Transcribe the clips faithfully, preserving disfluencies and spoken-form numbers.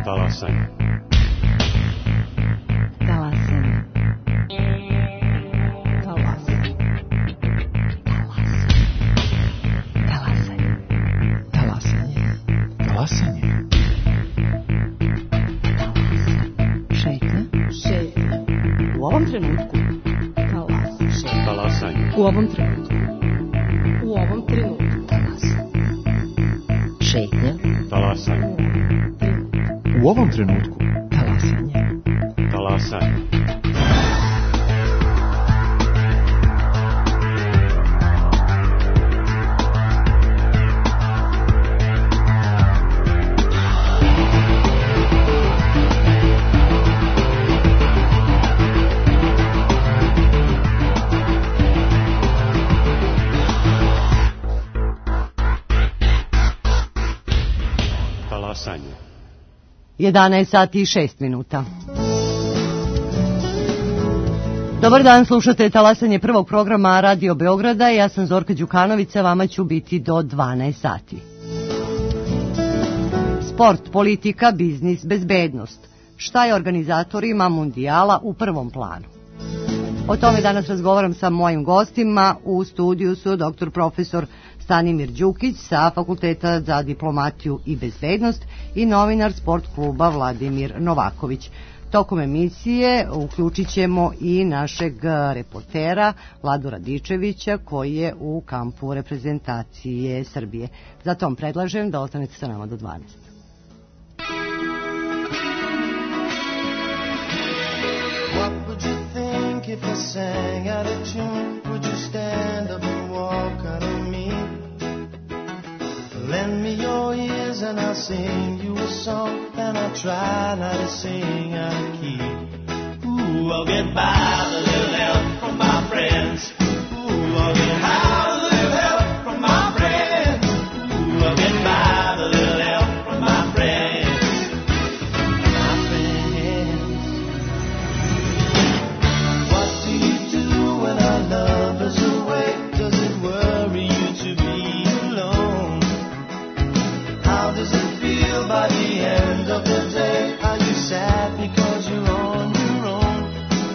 Talasanje. Talasanje. Talasanje. Talasanje. Talasanje. Talasanje. Šetnja. Šetnja. U ovom trenutku. Talasanje. Talasanje. U ovom trenutku. U ovom trenutku. Talasanje. Šetnja. Talasanje. U ovom trenutku. Talasanje. Talasanje. jedanaest sati i šest minuta. Dobar dan, slušate Talasanje prvog programa Radio Beograda. Ja sam Zorka Đukanović, a vama ću biti do dvanaest sati. Sport, politika, biznis, bezbednost. Šta je organizatorima mundijala u prvom planu? O tome danas razgovaram sa mojim gostima. U studiju su doktor profesor Stanimir Đukić sa Fakulteta za diplomatiju i bezbednost i novinar Sport kluba Vladimir Novaković. Tokom emisije uključit ćemo i našeg reportera Vladu Radičevića koji je u kampu reprezentacije Srbije. Zato vam predlažem da ostanete sa nama do dvanaest. What would you think if I sang out of tune? Would you stand up and walk out of me? Lend me your ears and I'll sing you a song, and I'll try not to sing out of key. Ooh, I'll get by with a little help from my friends. Ooh, I'll get high with a little help from my friends. Ooh, I'll get by with a little help from my friends. My friends. What do you do when our love is away? Does it worry you to be alone? How does it feel by the end of the day? Are you sad because you're on your own?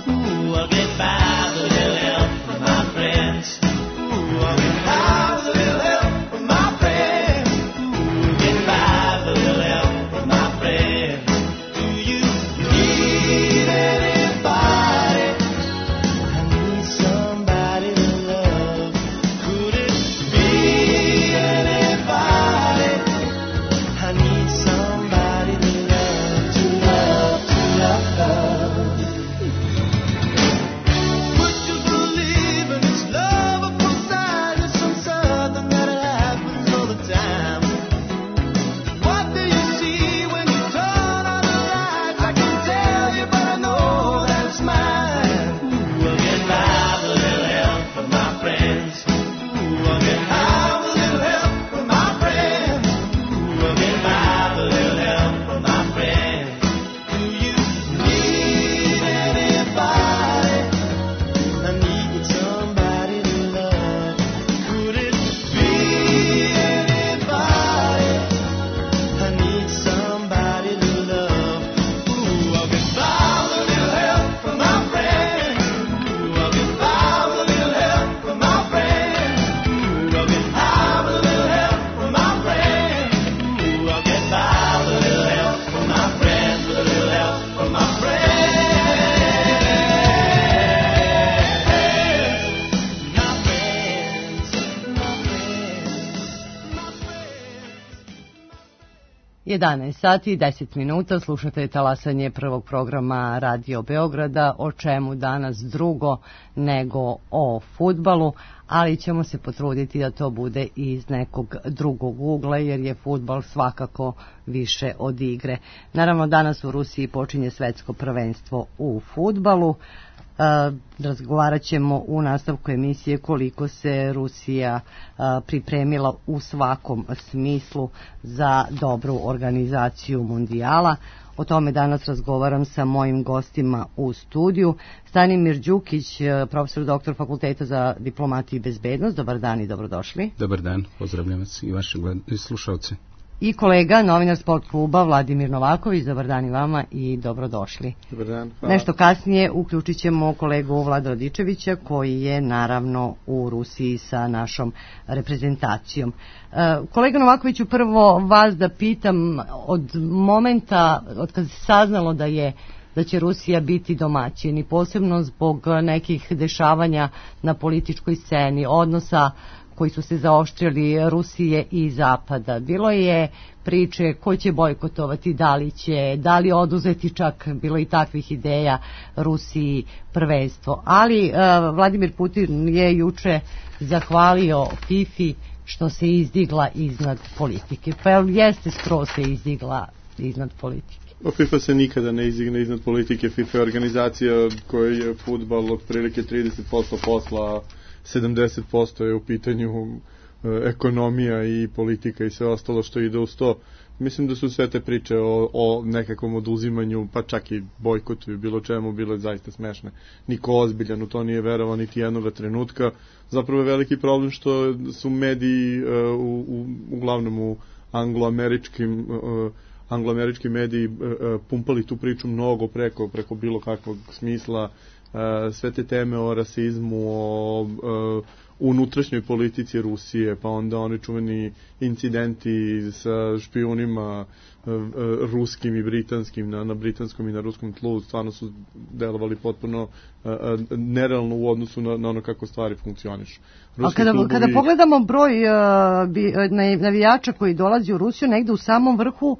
Ooh, I'll get by with a little help from my friends. Ooh, I'll get by with a little help from my friends. Ooh, get by with a little help from my friends. Do you need anybody? I need somebody to love. Could it be anybody? I need somebody to love, to love, to love. Would you believe in this love at first sight? It's so certain that it happens all the time. What do you see when you turn on the lights? I can tell you, but I know that it's mine. Ooh, I'll get by with a little help from my friends. Ooh, I'll get high with a little help from my friends. Ooh, I'll get by with a little help from my friends. Do you need anybody? I need somebody to love. Could it be anybody? I need somebody to love. Ooh, I'll get by with a little help from my friends. Ooh, I'll get by with a little help from my friends. Ooh, I'll get high with a little help from my friends. Ooh, I'll get by with a little help from my friends, with a little help from my friends. My friends, my friends, my friends. jedanaest sati i deset minuta, slušate Talasanje prvog programa Radio Beograda, o čemu danas drugo nego o fudbalu, ali ćemo se potruditi da to bude iz nekog drugog ugla, jer je fudbal svakako više od igre. Naravno, danas u Rusiji počinje svetsko prvenstvo u fudbalu. E, razgovarat ćemo u nastavku emisije koliko se Rusija e, pripremila u svakom smislu za dobru organizaciju mundijala. O tome danas razgovaram sa mojim gostima u studiju. Stanimir Đukić, profesor doktor Fakulteta za diplomatiju i bezbednost. Dobar dan i dobrodošli. Dobar dan, pozdravljam vas i vaše slušalce. i kolega, novinar Sport kluba Vladimir Novaković. Dobar dan i vama i dobrodošli. Dobar dan, hvala. Nešto kasnije uključit ćemo kolegu Vlada Radičevića koji je naravno u Rusiji sa našom reprezentacijom. Kolega Novakoviću, prvo vas da pitam, od momenta od kad se saznalo da je da će Rusija biti domaćin i posebno zbog nekih dešavanja na političkoj sceni, odnosa koji su se zaoštrili Rusije i Zapada. Bilo je priče ko će bojkotovati, da li će, da li oduzeti, čak bilo i takvih ideja Rusiji prvenstvo. Ali uh, Vladimir Putin je juče zahvalio FIFA što se izdigla iznad politike. Pa jeste skroz se izdigla iznad politike? FIFA se nikada ne izdigne iznad politike. FIFA je organizacija koja je fudbal otprilike trideset posto posla, sedamdeset posto je u pitanju e, ekonomija i politika i sve ostalo što ide uz to. Mislim da su sve te priče o, o nekakvom oduzimanju, pa čak i bojkotu i bilo čemu, bile zaista smešne. Niko ozbiljan u to nije verovao niti jednoga trenutka. Zapravo je veliki problem što su mediji e, u, u, uglavnom u angloameričkim e, angloamerički mediji e, pumpali tu priču mnogo preko, preko bilo kakvog smisla. Uh, sve te teme o rasizmu, o uh, unutrašnjoj politici Rusije, pa onda oni čuveni incidenti sa špijunima uh, uh, ruskim i britanskim na, na britanskom i na ruskom tlu stvarno su delovali potpuno uh, uh, nerealno u odnosu na, na ono kako stvari funkcionišu. A kada, klubovi... kada pogledamo broj uh, bi, navijača koji dolazi u Rusiju, negde u samom vrhu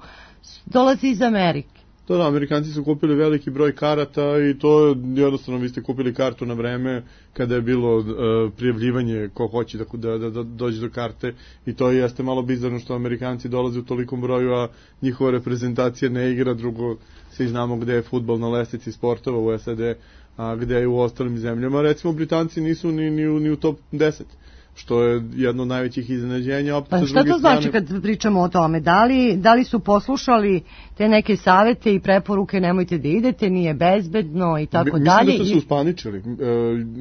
dolazi iz Amerike. Da, da, Amerikanci su kupili veliki broj karata i to je jednostavno, vi ste kupili kartu na vreme kada je bilo uh, prijavljivanje ko hoće da, da, da, da dođe do karte i to jeste malo bizarno što Amerikanci dolaze u tolikom broju, a njihova reprezentacija ne igra, drugo svi znamo gde je fudbal na lestvici sportova u S A D, a gde je u ostalim zemljama. Recimo, Britanci nisu ni, ni, ni u top deset. Što je jedno od najvećih iznenađenja. Pa šta to znači strane... kad pričamo o tome? Da li, da li su poslušali te neke savete i preporuke, nemojte da idete, nije bezbedno i tako Mi, dalje? Mislim da su se uspaničili. E,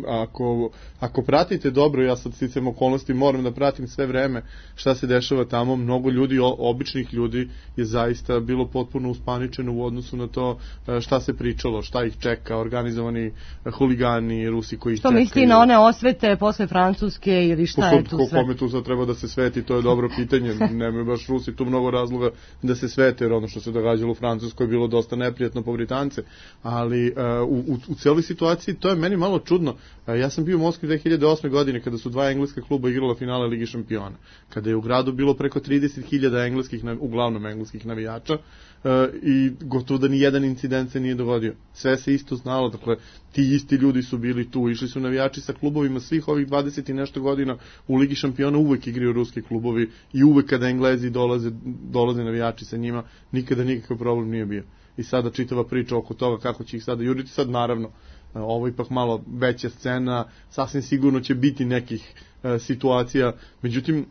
ako, ako pratite dobro, ja sad sticam okolnosti, moram da pratim sve vreme šta se dešava tamo, mnogo ljudi, običnih ljudi je zaista bilo potpuno uspaničeno u odnosu na to šta se pričalo, šta ih čeka, organizovani huligani, Rusi koji ih što čekaju. misli na one osvete posle Francuske ili šta je tu sve? Kome tu sad treba da se sveti, to je dobro pitanje. Nemaju baš Rusi tu mnogo razloga da se svete, jer ono što se događalo u Francuskoj je bilo dosta neprijatno po Britance, ali uh, u, u cijeloj situaciji to je meni malo čudno. Uh, ja sam bio u Moskvi dve hiljade osme godine kada su dva engleska kluba igrala finale Ligi šampiona, kada je u gradu bilo preko trideset hiljada engleskih, uglavnom engleskih navijača, Uh, i gotovo da ni jedan incident se nije dogodio. Sve se isto znalo, dakle, ti isti ljudi su bili tu, išli su navijači sa klubovima svih ovih dvadeset i nešto godina u Ligi šampiona, uvek igraju ruski klubovi i uvek kada Englezi dolaze, dolaze navijači sa njima, nikada nikakav problem nije bio. I sada čitava priča oko toga kako će ih sada juriti, sad naravno, uh, ovo ipak malo veća scena, sasvim sigurno će biti nekih uh, situacija, međutim,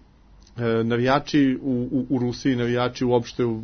navijači u, u, u Rusiji, navijači uopšte u, u,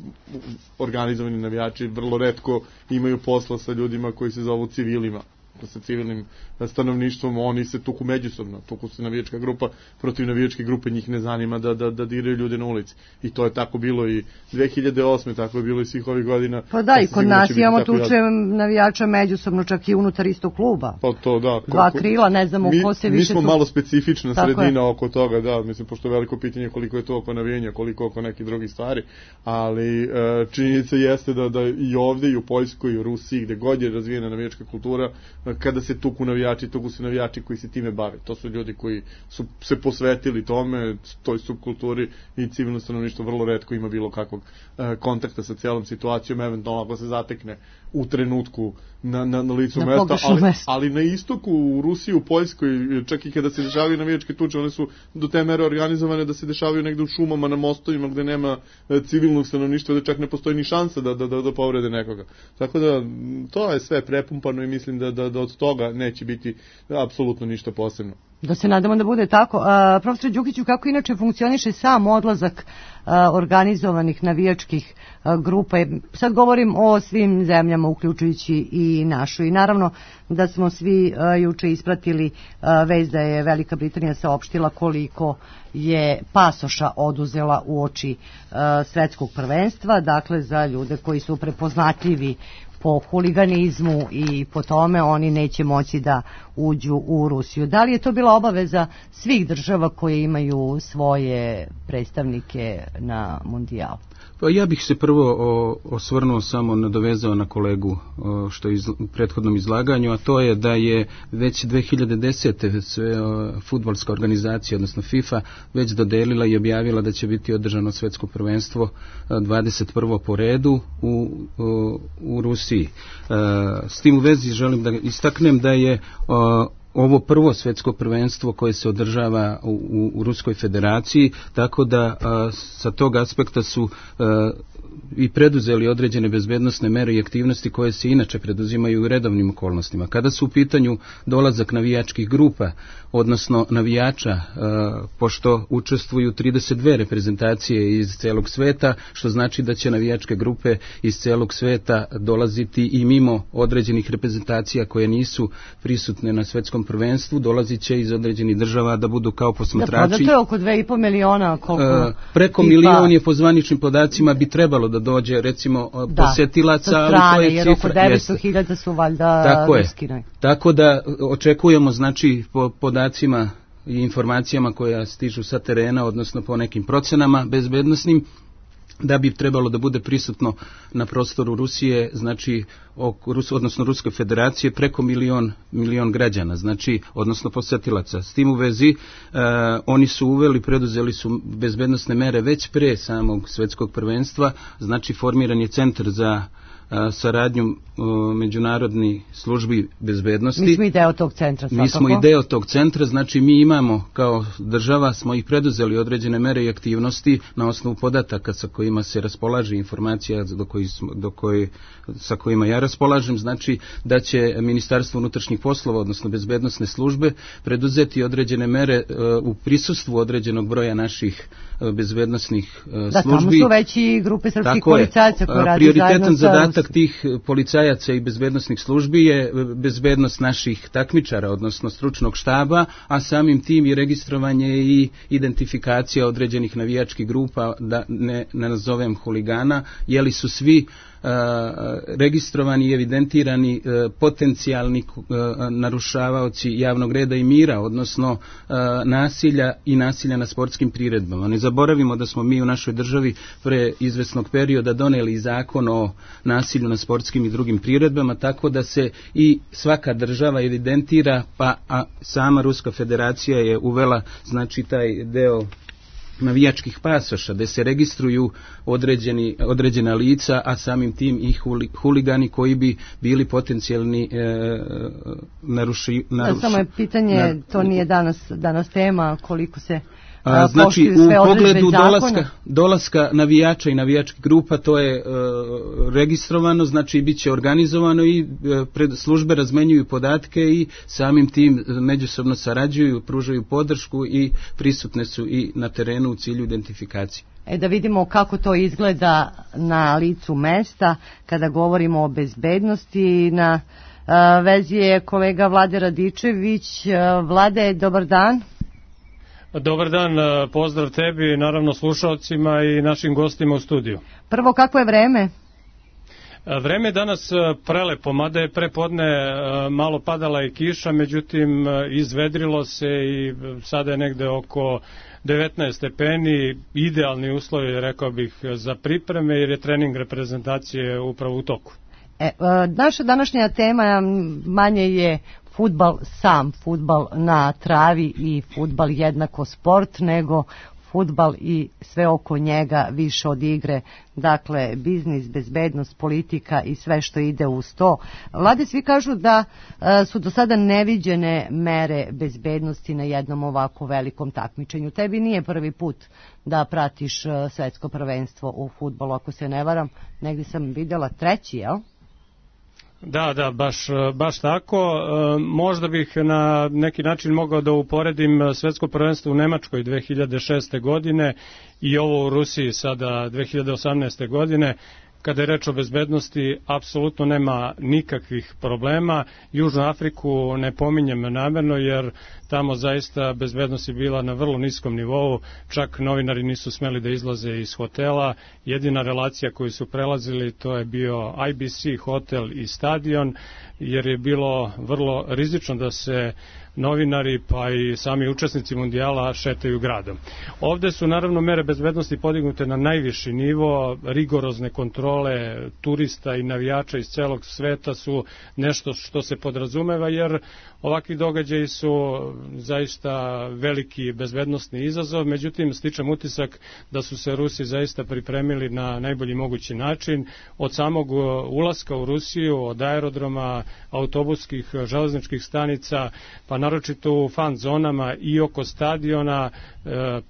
organizovani navijači vrlo retko imaju posla sa ljudima koji se zovu civilima, sa civilnim stanovništvom, oni se tuku međusobno, tuku se navijačka grupa protiv navijačke grupe, njih ne zanima da, da, da diraju ljude na ulici. I to je tako bilo i dve hiljade osme, tako je bilo i svih ovih godina. Pa da, i kod nas imamo tuče navijača međusobno, čak i unutar istog kluba. Pa to, da. Dva krila, ne znamo mi, ko se više... Mi smo tu... malo specifična tako sredina je. Oko toga, da, mislim, pošto je veliko pitanje koliko je to oko navijanja, koliko oko nekih drugih stvari, ali e, činjenica jeste da, da i ovde, i u Poljskoj, i u Rusiji, gde god je razvijena navijačka kultura, kada se tuku navijači, tuku su navijači koji se time bave. To su ljudi koji su se posvetili tome, toj subkulturi, i civilno stanovništvo vrlo retko ima bilo kakvog e, kontakta sa cijelom situacijom, eventualno ako se zatekne u trenutku na, na, na licu na mesta, ali, mesta. ali na istoku, u Rusiji, u Poljskoj, čak i kada se dešavaju navijačke tuče, one su do te mere organizovane da se dešavaju negde u šumama, na mostovima, gde nema civilnog stanovništva, da čak ne postoji ni šansa da, da, da, da povrede nekoga. Tako da, to je sve prepumpano i mislim da, da, da od toga neće biti apsolutno ništa posebno. Da se nadamo da bude tako. A, profesor Đukiću, kako inače funkcioniše sam odlazak organizovanih navijačkih grupa. Sad govorim o svim zemljama, uključujući i našu. I naravno da smo svi juče ispratili vest da je Velika Britanija saopštila koliko je pasoša oduzela uoči svetskog prvenstva, dakle za ljude koji su prepoznatljivi po huliganizmu i po tome oni neće moći da uđu u Rusiju. Da li je to bila obaveza svih država koje imaju svoje predstavnike na mundijalu? Pa ja bih se prvo o, osvrnuo samo, nadovezao na kolegu o, što je iz, u prethodnom izlaganju, a to je da je već dve hiljade desete sve o, fudbalska organizacija, odnosno FIFA, već dodelila i objavila da će biti održano svetsko prvenstvo dvadeset prvo po redu u, o, u Rusiji. E, s tim u vezi želim da istaknem da je o, ovo prvo svetsko prvenstvo koje se održava u, u, u Ruskoj federaciji, tako da a, sa tog aspekta su a, i preduzeli određene bezbednosne mere i aktivnosti koje se inače preduzimaju u redovnim okolnostima. Kada su u pitanju dolazak navijačkih grupa, odnosno navijača, e, pošto učestvuju trideset dve reprezentacije iz celog sveta, što znači da će navijačke grupe iz celog sveta dolaziti i mimo određenih reprezentacija koje nisu prisutne na svetskom prvenstvu, dolazit će iz određenih država da budu kao posmatrači. Da, pa da to je oko dve i po miliona. Koliko e, preko tipa... milion je po zvaničnim podacima bi trebalo da dođe recimo da, posetilaca, ali to je jer cifra. Oko devetsto hiljada su valjda tako ruskine. Tako da očekujemo, znači, po podacima i informacijama koja stižu sa terena, odnosno po nekim procenama bezbednosnim, da bi trebalo da bude prisutno na prostoru Rusije, znači, odnosno Ruske federacije, preko milion, milion građana, znači, odnosno posetilaca. S tim u vezi, e, oni su uveli, preduzeli su bezbednosne mere već pre samog svetskog prvenstva, znači, formiran je centar za saradnju međunarodnih službi bezbednosti. Mi smo i deo tog centra. Mi smo i deo tog centra, znači mi imamo kao država, smo ih preduzeli određene mere i aktivnosti na osnovu podataka sa kojima se raspolaže informacija do koji, do koji, sa kojima ja raspolažem, znači da će Ministarstvo unutrašnjih poslova, odnosno bezbednosne službe, preduzeti određene mere uh, u prisustvu određenog broja naših uh, bezbednosnih uh, da, službi. Da, tamo su već i grupe srpskih policajaca koji radi prioritetan zadatak tih policajaca i bezbednosnih službi je bezbednost naših takmičara, odnosno stručnog štaba, a samim tim i registrovanje i identifikacija određenih navijačkih grupa, da ne, ne nazovem huligana, jeli su svi Uh, registrovani i evidentirani uh, potencijalni uh, narušavaoci javnog reda i mira, odnosno uh, nasilja i nasilja na sportskim priredbama. Ne zaboravimo da smo mi u našoj državi pre izvesnog perioda doneli zakon o nasilju na sportskim i drugim priredbama, tako da se i svaka država evidentira, pa a sama Ruska federacija je uvela, znači, taj deo navijačkih pasoša, gde se registruju određeni, određena lica, a samim tim i huli, huligani koji bi bili potencijalni e, naruši, naruši, Samo je pitanje, nar, to nije danas, danas tema, koliko se A, znači, u pogledu dolaska, dolaska navijača i navijačkih grupa, to je e, registrovano, znači bit će organizovano i e, pred službe razmenjuju podatke i samim tim međusobno sarađuju, pružaju podršku i prisutne su i na terenu u cilju identifikacije. E da vidimo kako to izgleda na licu mesta kada govorimo o bezbednosti. Na a, vezi je kolega Vlade Radičević. A, Vlade, dobar dan. Dobar dan, pozdrav tebi, naravno slušalcima i našim gostima u studiju. Prvo, kako je vreme? Vreme je danas prelepo, mada je prepodne malo padala i kiša, međutim izvedrilo se i sada je negde oko devetnaest stepeni, idealni uslovi, rekao bih, za pripreme jer je trening reprezentacije upravo u toku. E, naša današnja tema manje je fudbal sam, fudbal na travi i fudbal jednako sport, nego fudbal i sve oko njega više od igre, dakle biznis, bezbednost, politika i sve što ide uz to. Vlade, svi kažu da e, su do sada neviđene mere bezbednosti na jednom ovako velikom takmičenju. Tebi nije prvi put da pratiš e, svetsko prvenstvo u fudbalu, ako se ne varam, negdje sam vidjela treći, jel? Da, da, baš, baš tako. E, možda bih na neki način mogao da uporedim svetsko prvenstvo u Nemačkoj dve hiljade šeste. godine i ovo u Rusiji sada dve hiljade osamnaeste. godine. Kada je reč o bezbednosti, apsolutno nema nikakvih problema. Južnu Afriku ne pominjem namerno, jer tamo zaista bezbednost je bila na vrlo niskom nivou, čak novinari nisu smeli da izlaze iz hotela. Jedina relacija koju su prelazili to je bio I B C hotel i stadion, jer je bilo vrlo rizično da se novinari pa i sami učesnici mundijala šetaju gradom. Ovde su naravno mere bezbednosti podignute na najviši nivo, rigorozne kontrole turista i navijača iz celog sveta su nešto što se podrazumeva, jer ovakvi događaji su zaista veliki bezbednosni izazov, međutim stičem utisak da su se Rusi zaista pripremili na najbolji mogući način, od samog ulaska u Rusiju, od aerodroma, autobuskih, železničkih stanica, pa naročito u fan zonama i oko stadiona,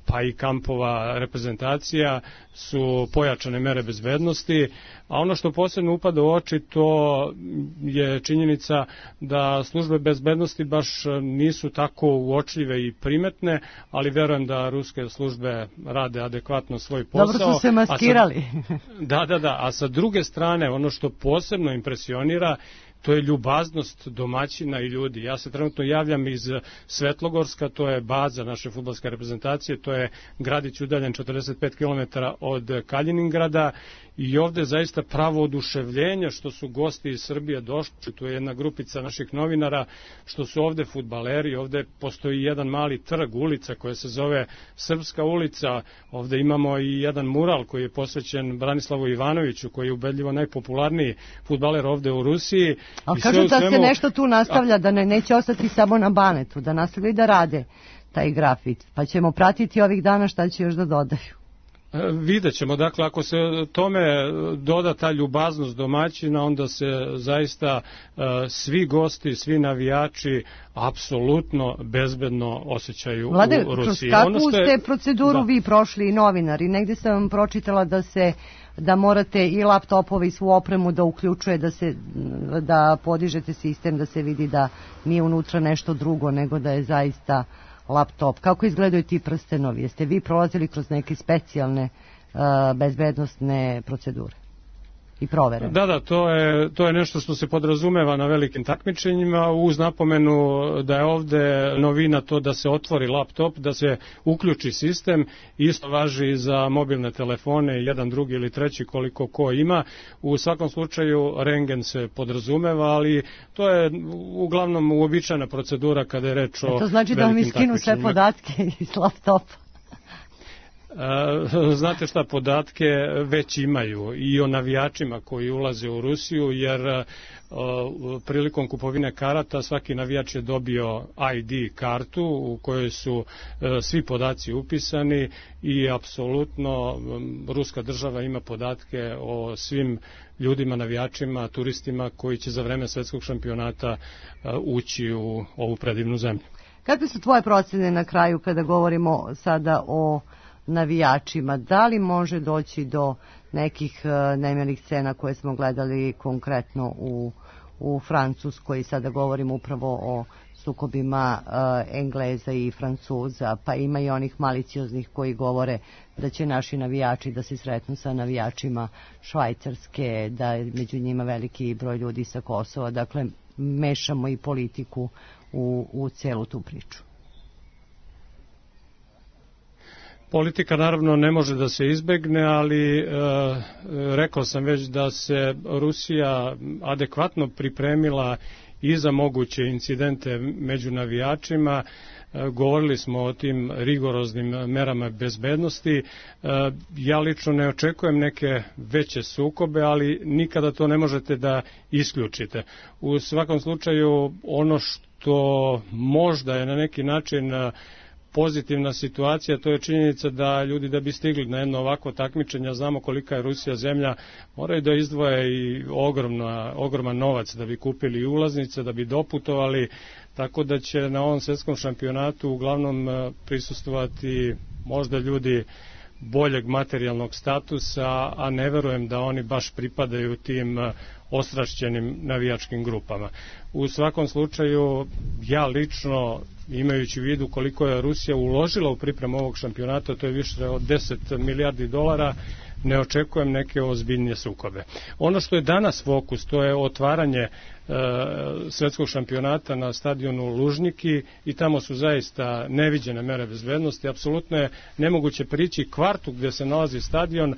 pa i kampova reprezentacija su pojačane mere bezbednosti, a ono što posebno upada u oči to je činjenica da službe bezbednosti baš nisu tako uočljive i primetne, ali verujem da ruske službe rade adekvatno svoj posao. Dobro su se maskirali. Sa, da, da, da, a sa druge strane ono što posebno impresionira to je ljubaznost domaćina i ljudi. Ja se trenutno javljam iz Svetlogorska, to je baza naše fudbalske reprezentacije, to je gradić udaljen četrdeset pet kilometara od Kaliningrada i ovde zaista pravo oduševljenje što su gosti iz Srbije došli, tu je jedna grupica naših novinara, što su ovde fudbaleri, ovde postoji jedan mali trg, ulica koja se zove Srpska ulica, ovde imamo i jedan mural koji je posvećen Branislavu Ivanoviću, koji je ubedljivo najpopularniji fudbaler ovde u Rusiji. Ali kažu da svemu... se nešto tu nastavlja, da ne, neće ostati samo na Banetu, da nastavljaju da rade taj grafit, pa ćemo pratiti ovih dana šta će još da dodaju. Vidjet ćemo, dakle, ako se tome doda ta ljubaznost domaćina, onda se zaista uh, svi gosti, svi navijači apsolutno bezbedno osjećaju Vlade, u Rusiji. Vlade, kakvu ono je... ste proceduru da. vi prošli i novinari? Negde sam vam pročitala da se da morate i laptopove i svu opremu da uključuje, da se da podižete sistem, da se vidi da nije unutra nešto drugo, nego da je zaista laptop. Kako izgledaju ti prstenovi? Jeste vi prolazili kroz neke specijalne uh, bezbednostne procedure i provere? Da, da, to je, to je nešto što se podrazumeva na velikim takmičenjima, uz napomenu da je ovde novina to da se otvori laptop, da se uključi sistem, isto važi i za mobilne telefone, jedan, drugi ili treći koliko ko ima. U svakom slučaju rengen se podrazumeva, ali to je uglavnom uobičajena procedura kada je reč o velikim takmičenjima. To znači da vam iskinu sve podatke iz laptopa? Znate šta, podatke već imaju i o navijačima koji ulaze u Rusiju, jer uh, prilikom kupovine karata svaki navijač je dobio I D kartu u kojoj su uh, svi podaci upisani i apsolutno um, ruska država ima podatke o svim ljudima, navijačima, turistima koji će za vreme svetskog šampionata uh, ući u ovu predivnu zemlju. Kakve su tvoje procene na kraju kada govorimo sada o navijačima? Da li može doći do nekih uh, nemilih scena koje smo gledali konkretno u, u Francuskoj, sada govorimo upravo o sukobima uh, Engleza i Francuza, pa ima i onih malicioznih koji govore da će naši navijači da se sretnu sa navijačima Švajcarske, da je među njima veliki broj ljudi sa Kosova, dakle mešamo i politiku u, u celu tu priču. Politika naravno ne može da se izbegne, ali e, rekao sam već da se Rusija adekvatno pripremila i za moguće incidente među navijačima. E, govorili smo o tim rigoroznim merama bezbednosti. E, ja lično ne očekujem neke veće sukobe, ali nikada to ne možete da isključite. U svakom slučaju ono što možda je na neki način pozitivna situacija, to je činjenica da ljudi da bi stigli na jedno ovako takmičenje, znamo kolika je Rusija zemlja, moraju da izdvoje i ogromna, ogroman novac da bi kupili ulaznice, da bi doputovali, tako da će na ovom svetskom šampionatu uglavnom prisustvovati možda ljudi boljeg materijalnog statusa, a ne verujem da oni baš pripadaju tim ostrašćenim navijačkim grupama. U svakom slučaju, ja lično, imajući u vidu koliko je Rusija uložila u pripremu ovog šampionata, to je više od deset milijardi dolara, ne očekujem neke ozbiljnije sukobe. Ono što je danas fokus, to je otvaranje e, svetskog šampionata na stadionu Lužniki i tamo su zaista neviđene mere bezbednosti. Apsolutno je nemoguće prići kvartu gdje se nalazi stadion. E,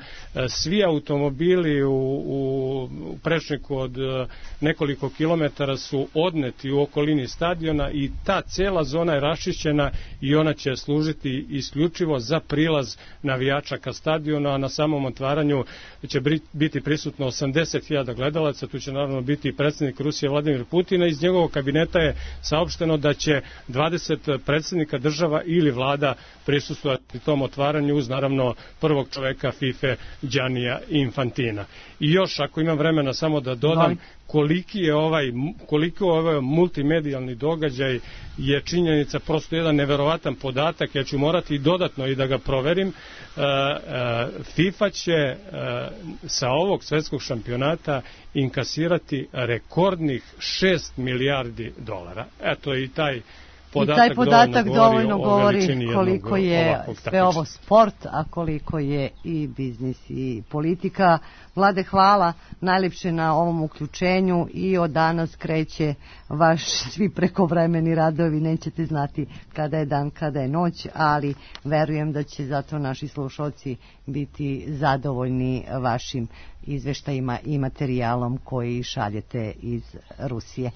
svi automobili u, u prečniku od e, nekoliko kilometara su odneti u okolini stadiona i ta cela zona je raščišćena i ona će služiti isključivo za prilaz navijača ka stadionu, a na samom otvaranju će biti prisutno osamdeset hiljada gledalaca. Tu će naravno biti predsjednik Rusije Vladimir Putin, a iz njegovog kabineta je saopšteno da će dvadeset predsjednika država ili vlada prisustvovati tom otvaranju uz naravno prvog čoveka FIFA Giannija Infantina. I još, ako imam vremena, samo da dodam koliki je ovaj, koliko je ovaj multimedijalni događaj, je činjenica, prosto jedan neverovatan podatak. Ja ću morati dodatno i da ga proverim. E, e, FIFA će e, sa ovog svetskog šampionata inkasirati rekordnih šest milijardi dolara. Eto i taj podatak, I taj podatak dovoljno govori, govori koliko je sve ovo sport, a koliko je i biznis i politika. Vlade, hvala najljepše na ovom uključenju i od danas kreće vaš svi prekovremeni radovi. Nećete znati kada je dan, kada je noć, ali verujem da će zato naši slušalci biti zadovoljni vašim izveštajima i materijalom koji šaljete iz Rusije.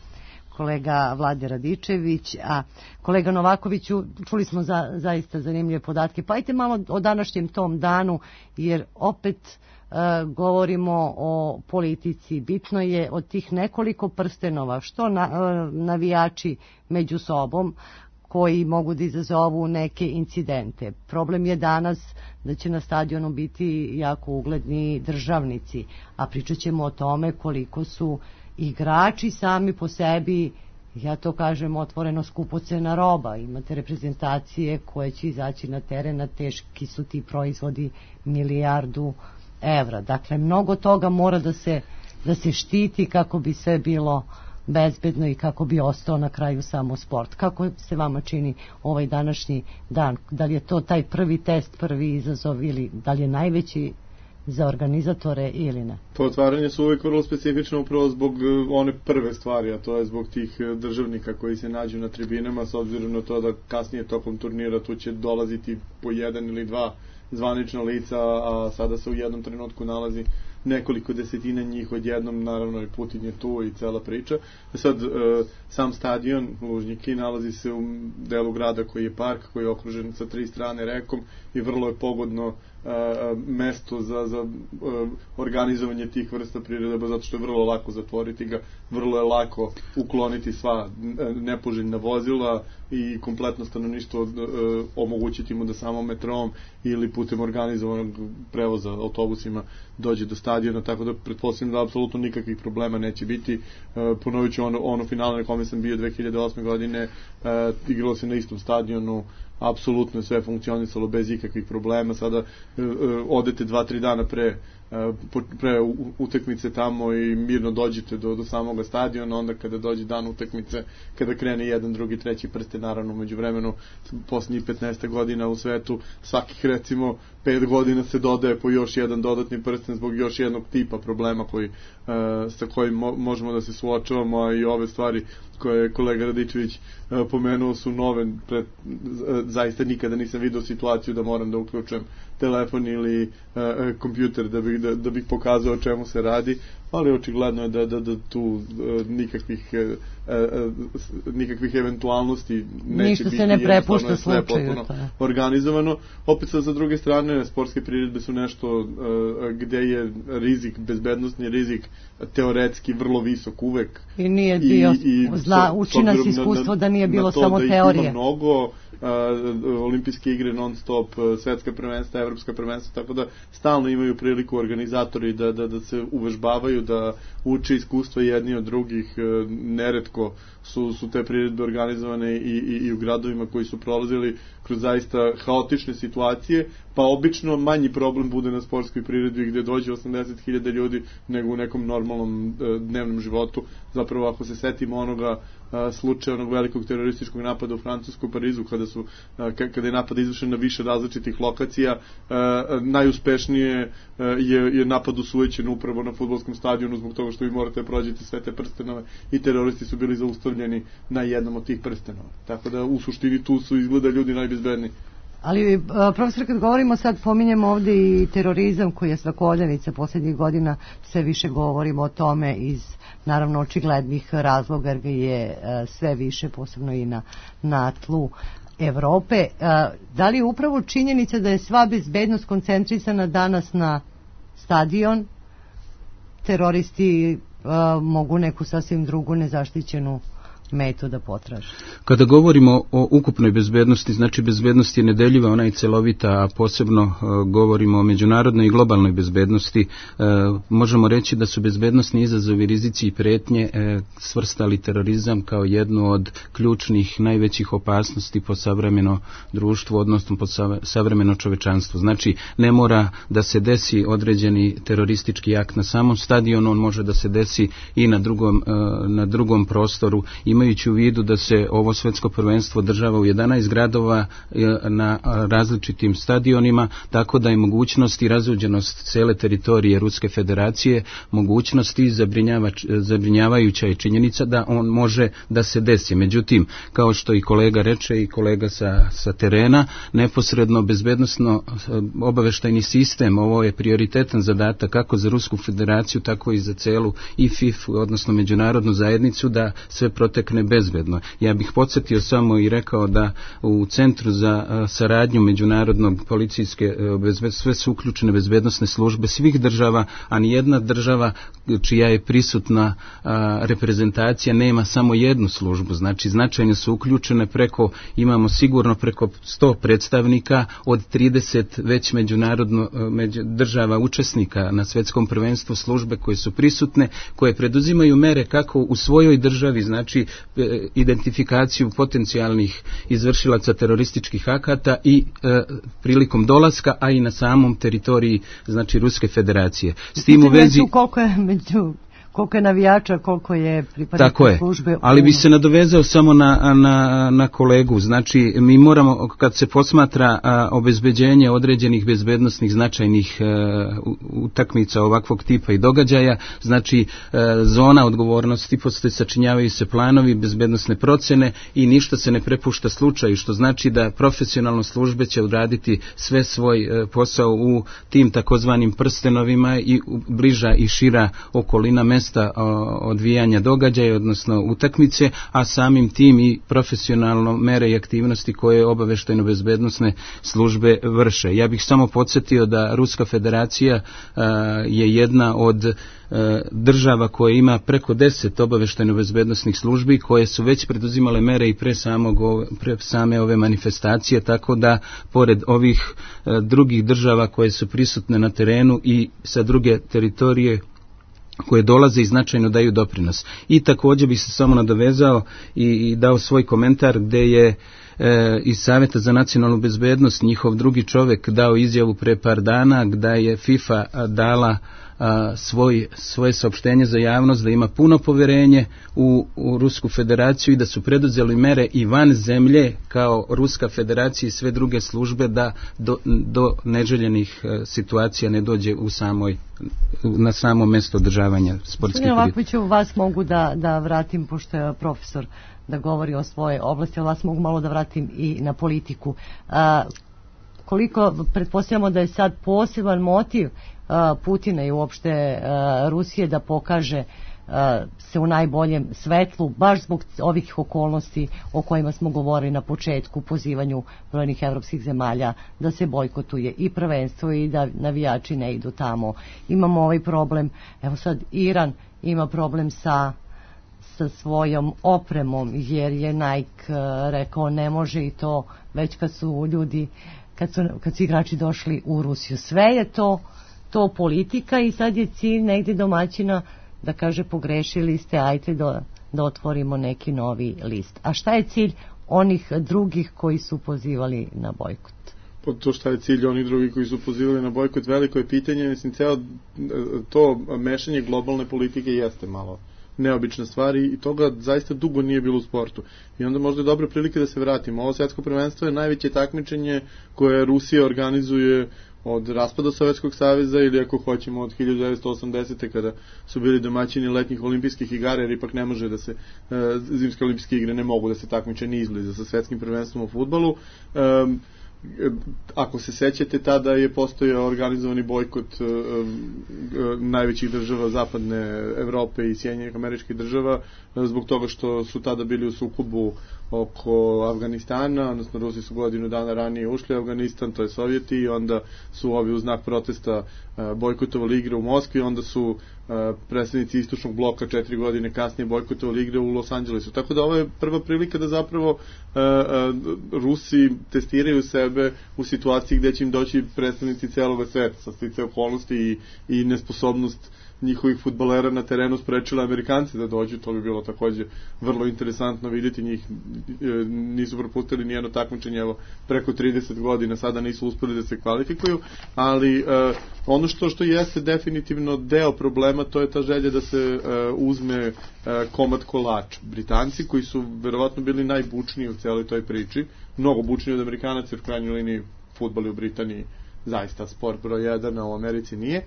Kolega Vlade Radičević, a kolega Novakoviću, čuli smo za, zaista zanimljive podatke. Pa ajte malo o današnjem tom danu, jer opet e, govorimo o politici. Bitno je od tih nekoliko prstenova, što na, e, navijači među sobom, koji mogu da izazovu neke incidente. Problem je danas da će na stadionu biti jako ugledni državnici, a pričat ćemo o tome koliko su igrači sami po sebi, ja to kažem otvoreno, skupocena roba. Imate reprezentacije koje će izaći na teren, a teški su ti proizvodi milijardu evra. Dakle, mnogo toga mora da se, da se štiti kako bi sve bilo bezbedno i kako bi ostao na kraju samo sport. Kako se vama čini ovaj današnji dan? Da li je to taj prvi test, prvi izazov, ili da li je najveći za organizatore ili ne? To otvaranje su uvijek vrlo specifično upravo zbog one prve stvari, a to je zbog tih državnika koji se nađu na tribinama, s obzirom na to da kasnije tokom turnira tu će dolaziti po jedan ili dva zvanična lica, a sada se u jednom trenutku nalazi nekoliko desetina njih odjednom, naravno i Putin je tu i cela priča. Sad, e, sam stadion Lužnjiki nalazi se u delu grada koji je park, koji je okružen sa tri strane rekom i vrlo je pogodno e, mesto za, za e, organizovanje tih vrsta priredaba, zato što je vrlo lako zatvoriti ga, vrlo je lako ukloniti sva nepoželjna vozila i kompletno stanovništvo e, omogućiti mu da samo metrom ili putem organizovanog prevoza autobusima dođe do stadiona, tako da pretpostavljam da apsolutno nikakvih problema neće biti. E, ponovit ću ono, ono finale na kome sam bio dve hiljade osme godine, e, igralo se na istom stadionu, apsolutno je sve funkcionisalo bez ikakvih problema. Sada e, e, odete dva, tri dana pre pre utakmice tamo i mirno dođete do, do samoga stadiona, onda kada dođe dan utakmice, kada krene jedan, drugi, treći prsten, naravno među vremenu posljednjih petnaest godina u svetu svakih recimo pet godina se dodaje po još jedan dodatni prsten zbog još jednog tipa problema koji, uh, sa kojim mo možemo da se suočavamo, a i ove stvari koje je kolega Radičević uh, pomenuo su nove. Pred, uh, zaista nikada nisam vidio situaciju da moram da uključujem telefon ili uh, kompjuter da bih, da, da bih pokazao o čemu se radi, ali očigledno je da, da, da tu uh, nikakvih uh, uh, nikakvih eventualnosti neće ništa biti. Se ne prepušta slučaju. Organizovano. Opet sa, sa druge strane, sportske priredbe su nešto uh, gde je rizik, bezbednostni rizik teoretski vrlo visok uvek. I nije bio, i, i zna, uči nas iskustvo da nije bilo samo teorije. Na to da ih ima mnogo, Uh, olimpijske igre non stop, uh, svetska prvenstva, evropska prvenstva, tako da stalno imaju priliku organizatori da, da, da se uvežbavaju, da uče iskustva jedni od drugih. Uh, neretko su, su te priredbe organizovane i, i, i u gradovima koji su prolazili kroz zaista haotične situacije, pa obično manji problem bude na sportskoj priredbi gdje dođe osamdeset hiljada ljudi nego u nekom normalnom e, dnevnom životu. Zapravo ako se setimo onoga a, slučaja onog velikog terorističkog napada u Francusku u Parizu kada su a, kada je napad izvršen na više različitih lokacija, a, najuspešnije a, je, je napad usujećen upravo na fudbalskom stadionu zbog toga što vi morate prođeti sve te prstenove i teroristi su bili zaustavljeni na jednom od tih prstenova. Tako da u suštini tu su izgleda ljudi najbezbedniji. Ali, profesor, kad govorimo sad, pominjemo ovdje i terorizam koji je svakodnevnica posljednjih godina, sve više govorimo o tome iz, naravno, očiglednih razloga, jer ga je sve više, posebno i na, na tlu Evrope. Da li je upravo činjenica da je sva bezbednost koncentrisana danas na stadion, teroristi mogu neku sasvim drugu nezaštićenu metu da potraže? Kada govorimo o ukupnoj bezbednosti, znači bezbednost je nedeljiva, ona je celovita, a posebno uh, govorimo o međunarodnoj i globalnoj bezbednosti, uh, možemo reći da su bezbednosni izazovi, rizici i pretnje uh, svrstali terorizam kao jednu od ključnih, najvećih opasnosti po savremeno društvu, odnosno po savremeno čovečanstvo. Znači, ne mora da se desi određeni teroristički akt na samom stadionu, on može da se desi i na drugom, uh, na drugom prostoru. Imajući u vidu da se ovo svetsko prvenstvo održava u jedanaest gradova na različitim stadionima, tako da je mogućnost i razuđenost cele teritorije Ruske federacije, mogućnost i zabrinjavajuća je činjenica da on može da se desi. Međutim, kao što i kolega reče i kolega sa, sa terena, neposredno bezbednosno obaveštajni sistem, ovo je prioritetan zadatak kako za Rusku federaciju, tako i za celu i F I F, odnosno međunarodnu zajednicu, da sve protekne bezbedno. Ja bih podsjetio samo i rekao da u Centru za a, saradnju međunarodnog policijske bezbed, sve su uključene bezbednosne službe svih država, a nijedna država čija je prisutna a, reprezentacija nema samo jednu službu. Znači značajno su uključene preko, imamo sigurno preko sto predstavnika od trideset već međunarodno među, država učesnika na svetskom prvenstvu, službe koje su prisutne, koje preduzimaju mere kako u svojoj državi, znači identifikaciju potencijalnih izvršilaca terorističkih akata i e, prilikom dolaska, a i na samom teritoriji, znači, Ruske federacije. S tim u vezi... Koliko je među... koliko je navijača, koliko je pripadnika službe. Ali bi se nadovezao samo na, na, na kolegu. Znači, mi moramo, kad se posmatra a, obezbeđenje određenih bezbednosnih značajnih a, utakmica ovakvog tipa i događaja, znači a, zona odgovornosti, postoje, sačinjavaju se planovi, bezbednosne procene i ništa se ne prepušta slučaju, što znači da profesionalno službe će odraditi sve svoj a, posao u tim takozvanim prstenovima i bliža i šira okolina mesta odvijanja događaja, odnosno utakmice, a samim tim i profesionalno mere i aktivnosti koje obaveštajno bezbednosne službe vrše. Ja bih samo podsjetio da Ruska federacija a, je jedna od a, država koja ima preko deset obaveštajno bezbednosnih službi koje su već preduzimale mere i pre, samog, pre same ove manifestacije, tako da pored ovih a, drugih država koje su prisutne na terenu i sa druge teritorije koje dolaze i značajno daju doprinos. I također bi se samo nadovezao i, i dao svoj komentar gdje je e, iz Savjeta za nacionalnu bezbednost njihov drugi čovjek dao izjavu pre par dana gdje je FIFA dala a, svoj, svoje saopštenje za javnost da ima puno povjerenje u, u Rusku federaciju i da su preduzeli mere i van zemlje kao Ruska federacija i sve druge službe da do, do neželjenih a, situacija ne dođe u samoj na samo mjesto održavanja sportskih priredbi. Ovako ću vas mogu da, da vratim, pošto je profesor da govori o svoje oblasti, ali vas mogu malo da vratim i na politiku. A, koliko pretpostavljamo da je sad poseban motiv a, Putina i uopšte a, Rusije da pokaže a, se u najboljem svetlu, baš zbog ovih okolnosti o kojima smo govorili na početku, pozivanju brojnih evropskih zemalja da se bojkotuje i prvenstvo i da navijači ne idu tamo. Imamo ovaj problem, evo sad Iran ima problem sa sa svojom opremom, jer je Nike rekao ne može i to već kad su ljudi, kad su, kad su igrači došli u Rusiju. Sve je to, to politika i sad je cilj negdje domaćina da kaže pogrešili ste, ajte da, da otvorimo neki novi list. A šta je cilj onih drugih koji su pozivali na bojkot? pod to šta je cilj onih drugi koji su pozivali na bojkot, veliko je pitanje, mislim, ceo to mešanje globalne politike jeste malo neobična stvar i toga zaista dugo nije bilo u sportu. I onda možda je dobra prilika da se vratimo. Ovo svetsko prvenstvo je najveće takmičenje koje Rusija organizuje od raspada Sovjetskog saveza ili ako hoćemo od hiljadu devetsto osamdesete kada su bili domaćini letnjih olimpijskih igara, jer ipak ne može da se zimske olimpijske igre ne mogu da se takmiče ni izbliza sa svetskim prvenstvom u fudbalu. Um, ako se sećate, tada je postojao organizovani bojkot uh, uh, najvećih država zapadne Evrope i Sjedinjenih Američkih Država uh, zbog toga što su tada bili u sukobu oko Afganistana, odnosno Rusi su godinu dana ranije ušli u Afganistan, to je Sovjeti, i onda su ovi u znak protesta uh, bojkotovali igre u Moskvi, onda su uh, predstavnici istočnog bloka četiri godine kasnije bojkotovali igre u Los Angelesu. Tako da ovo je prva prilika da zapravo uh, uh, Rusi testiraju sebe u situaciji gde će im doći predstavnici celog sveta, sa stice okolnosti i, i nesposobnost njihovih fudbalera na terenu sprečila Amerikanci da dođu, to bi bilo takođe vrlo interesantno vidjeti njih, nisu propustili nijedno takmičenje, evo preko trideset godina, sada nisu uspeli da se kvalifikuju, ali uh, ono što što jeste definitivno deo problema, to je ta želja da se uh, uzme uh, komad kolača. Britanci, koji su verovatno bili najbučniji u celoj toj priči, mnogo bučniji od Amerikanaca, jer u krajnjoj liniji fudbal u Britaniji zaista sport broj jedan, a u Americi nije,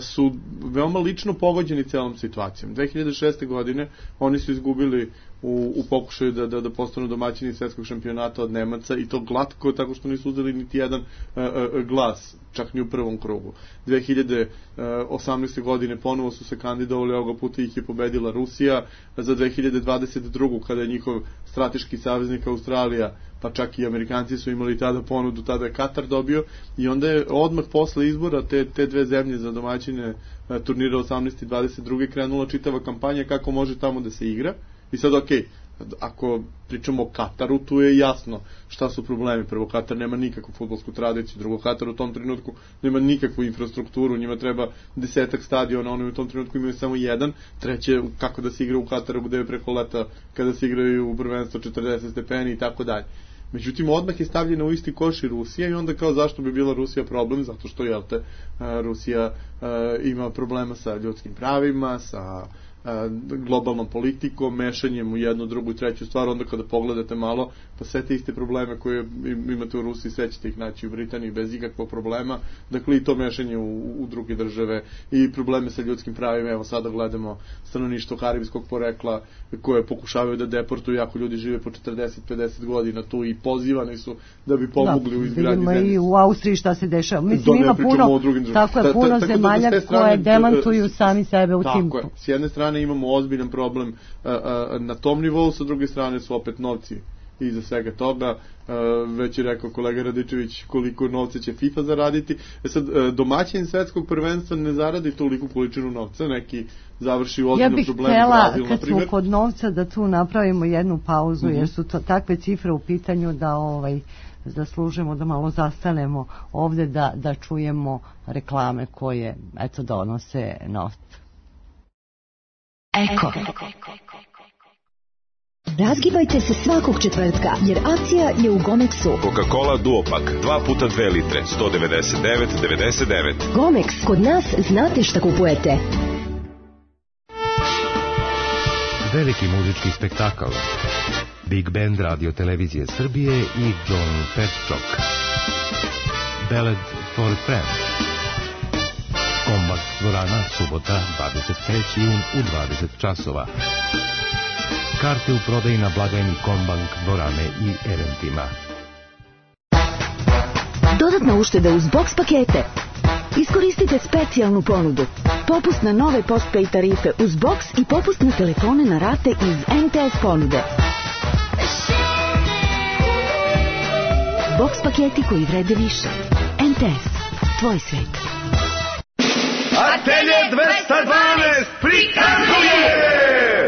su veoma lično pogođeni celom situacijom. dve hiljade šeste. godine oni su izgubili u, u pokušaju da, da, da postanu domaćini svetskog šampionata od Nemaca, i to glatko, tako što nisu uzeli niti jedan uh, uh, glas, čak ni u prvom krugu. dve hiljade osamnaeste. godine ponovo su se kandidovali, ovoga puta ih je pobedila Rusija. Za dve hiljade dvadeset drugu. kada je njihov strateški saveznik Australija, pa čak i Amerikanci su imali tada ponudu, tada je Katar dobio, i onda je odmah posle izbora te, te dve zemlje za domaćine turnira osamnaeste i dvadeset druge krenula čitava kampanja kako može tamo da se igra. I sad, ok, ako pričamo o Kataru, tu je jasno šta su problemi. Prvo, Katar nema nikakvu fudbalsku tradiciju, drugo, Katar u tom trenutku nema nikakvu infrastrukturu, njima treba desetak stadiona, oni u tom trenutku imaju samo jedan, treće, kako da se igra u Kataru gde je preko leta kada se igraju u prvenstvo četrdeset stepeni i tako dalje. Međutim, odmah je stavljena u isti koš i Rusija, i onda kao zašto bi bila Rusija problem? Zato što, jel te, Rusija ima problema sa ljudskim pravima, sa globalnom politikom, mešanjem u jednu, drugu i treću stvar. Onda kada pogledate malo, pa sve te iste probleme koje imate u Rusiji, sve ćete ih naći u Britaniji bez ikakvog problema. Dakle, i to mešanje u, u druge države i probleme sa ljudskim pravima. Evo, sada gledamo stanovništvo karibskog porekla koje pokušavaju da deportuju, ako ljudi žive po četrdeset pedeset godina tu, i pozivani su da bi pomogli, da, u izgradnji zemlje. I u Austriji šta se dešava. Mislim, ima puno, tako je, puno ta, ta, zemalja da koje demantuju sami sebe u tim. Tako je. S jedne strane imamo ozbiljan problem a, a, na tom nivou, sa druge strane su opet novci iza svega toga. Već je rekao kolega Radičević koliko novca će FIFA zaraditi. E sad, domaćin svetskog prvenstva ne zaradi toliku količinu novca, neki završi u ozbiljnom problemu. Ja bih htjela, kad smo kod novca, da tu napravimo jednu pauzu, uh-huh. jer su to takve cifre u pitanju da ovaj zaslužimo da malo zastanemo ovde, da, da čujemo reklame koje, eto, donose novac. Eko. Razgibajte se svakog četvrtka, jer akcija je u Gomexu. Coca-Cola Duopak, dva puta dve litre, sto devedeset devet devedeset devet. Gomex, kod nas znate šta kupujete. Veliki muzički spektakl. Big Band Radio Televizije Srbije i John Petchok. Ballad for Friends. Kombak dvorana, subota, dvadeset treći jun u dvadeset časova. Karte u prodaji na blagajni Kombank dvorane i eventima. Dodatna ušteda uz box pakete. Iskoristite specijalnu ponudu. Popust na nove postpay tarife uz box i popust na telefone na rate iz M T S ponude. Box paketi koji vrede više. M T S. Tvoj svet. Atelje dvesta dvanaest prikazuje!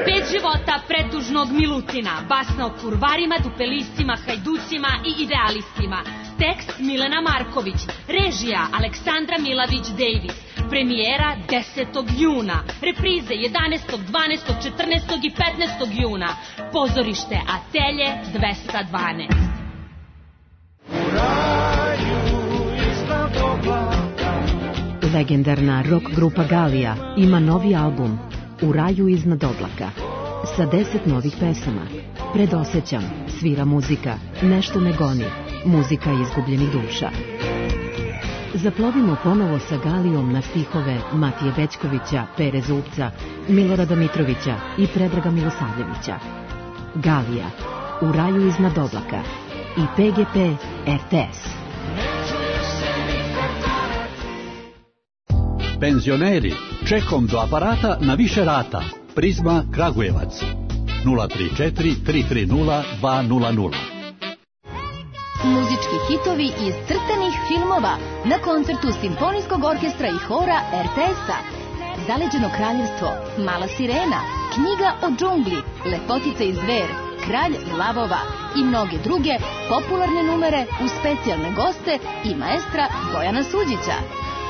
Pet života pretužnog Milutina, basna o kurvarima, dupelistima, hajducima i idealistima. Tekst Milena Marković, režija Aleksandra Milavić-Davis, premijera desetog juna, reprize jedanaestog, dvanaestog, četrnaestog i petnaestog juna, pozorište Atelje dvesta dvanaest. Legendarna rock grupa Galija ima novi album U raju iznad oblaka sa deset novih pesama. Predosećam, svira muzika, nešto me goni, muzika izgubljenih duša. Zaplovimo ponovo sa Galijom na stihove Matije Bećkovića, Pere Zupca, Milorada Mitrovića i Predraga Milosavljevića. Galija, U raju iznad oblaka i P G P R T S. Penzioneri, čekom do aparata na više rata. Prizma Kragujevac. nula tri četiri tri tri nula dva nula nula. Muzički hitovi iz crtanih filmova na koncertu Simfonijskog orkestra i hora R T S-a. Zaleđeno kraljevstvo, Mala sirena, Knjiga o džungli, Lepotica i zver, Kralj lavova i mnoge druge popularne numere uz specijalne goste i maestra Bojana Suđića.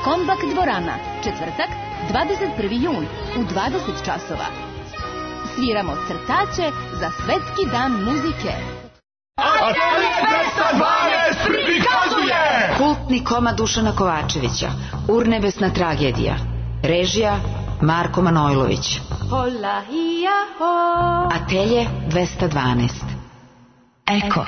Kombak dvorana, četvrtak, dvadeset prvi jun u dvadeset časova. Sviramo crtače za Svetski dan muzike. Atelje dvesta dvanaest prikazuje kultni komad Dušana Kovačevića, Urnebesna tragedija. Režija Marko Manojlović. Atelje dvesta dvanaest. Eko.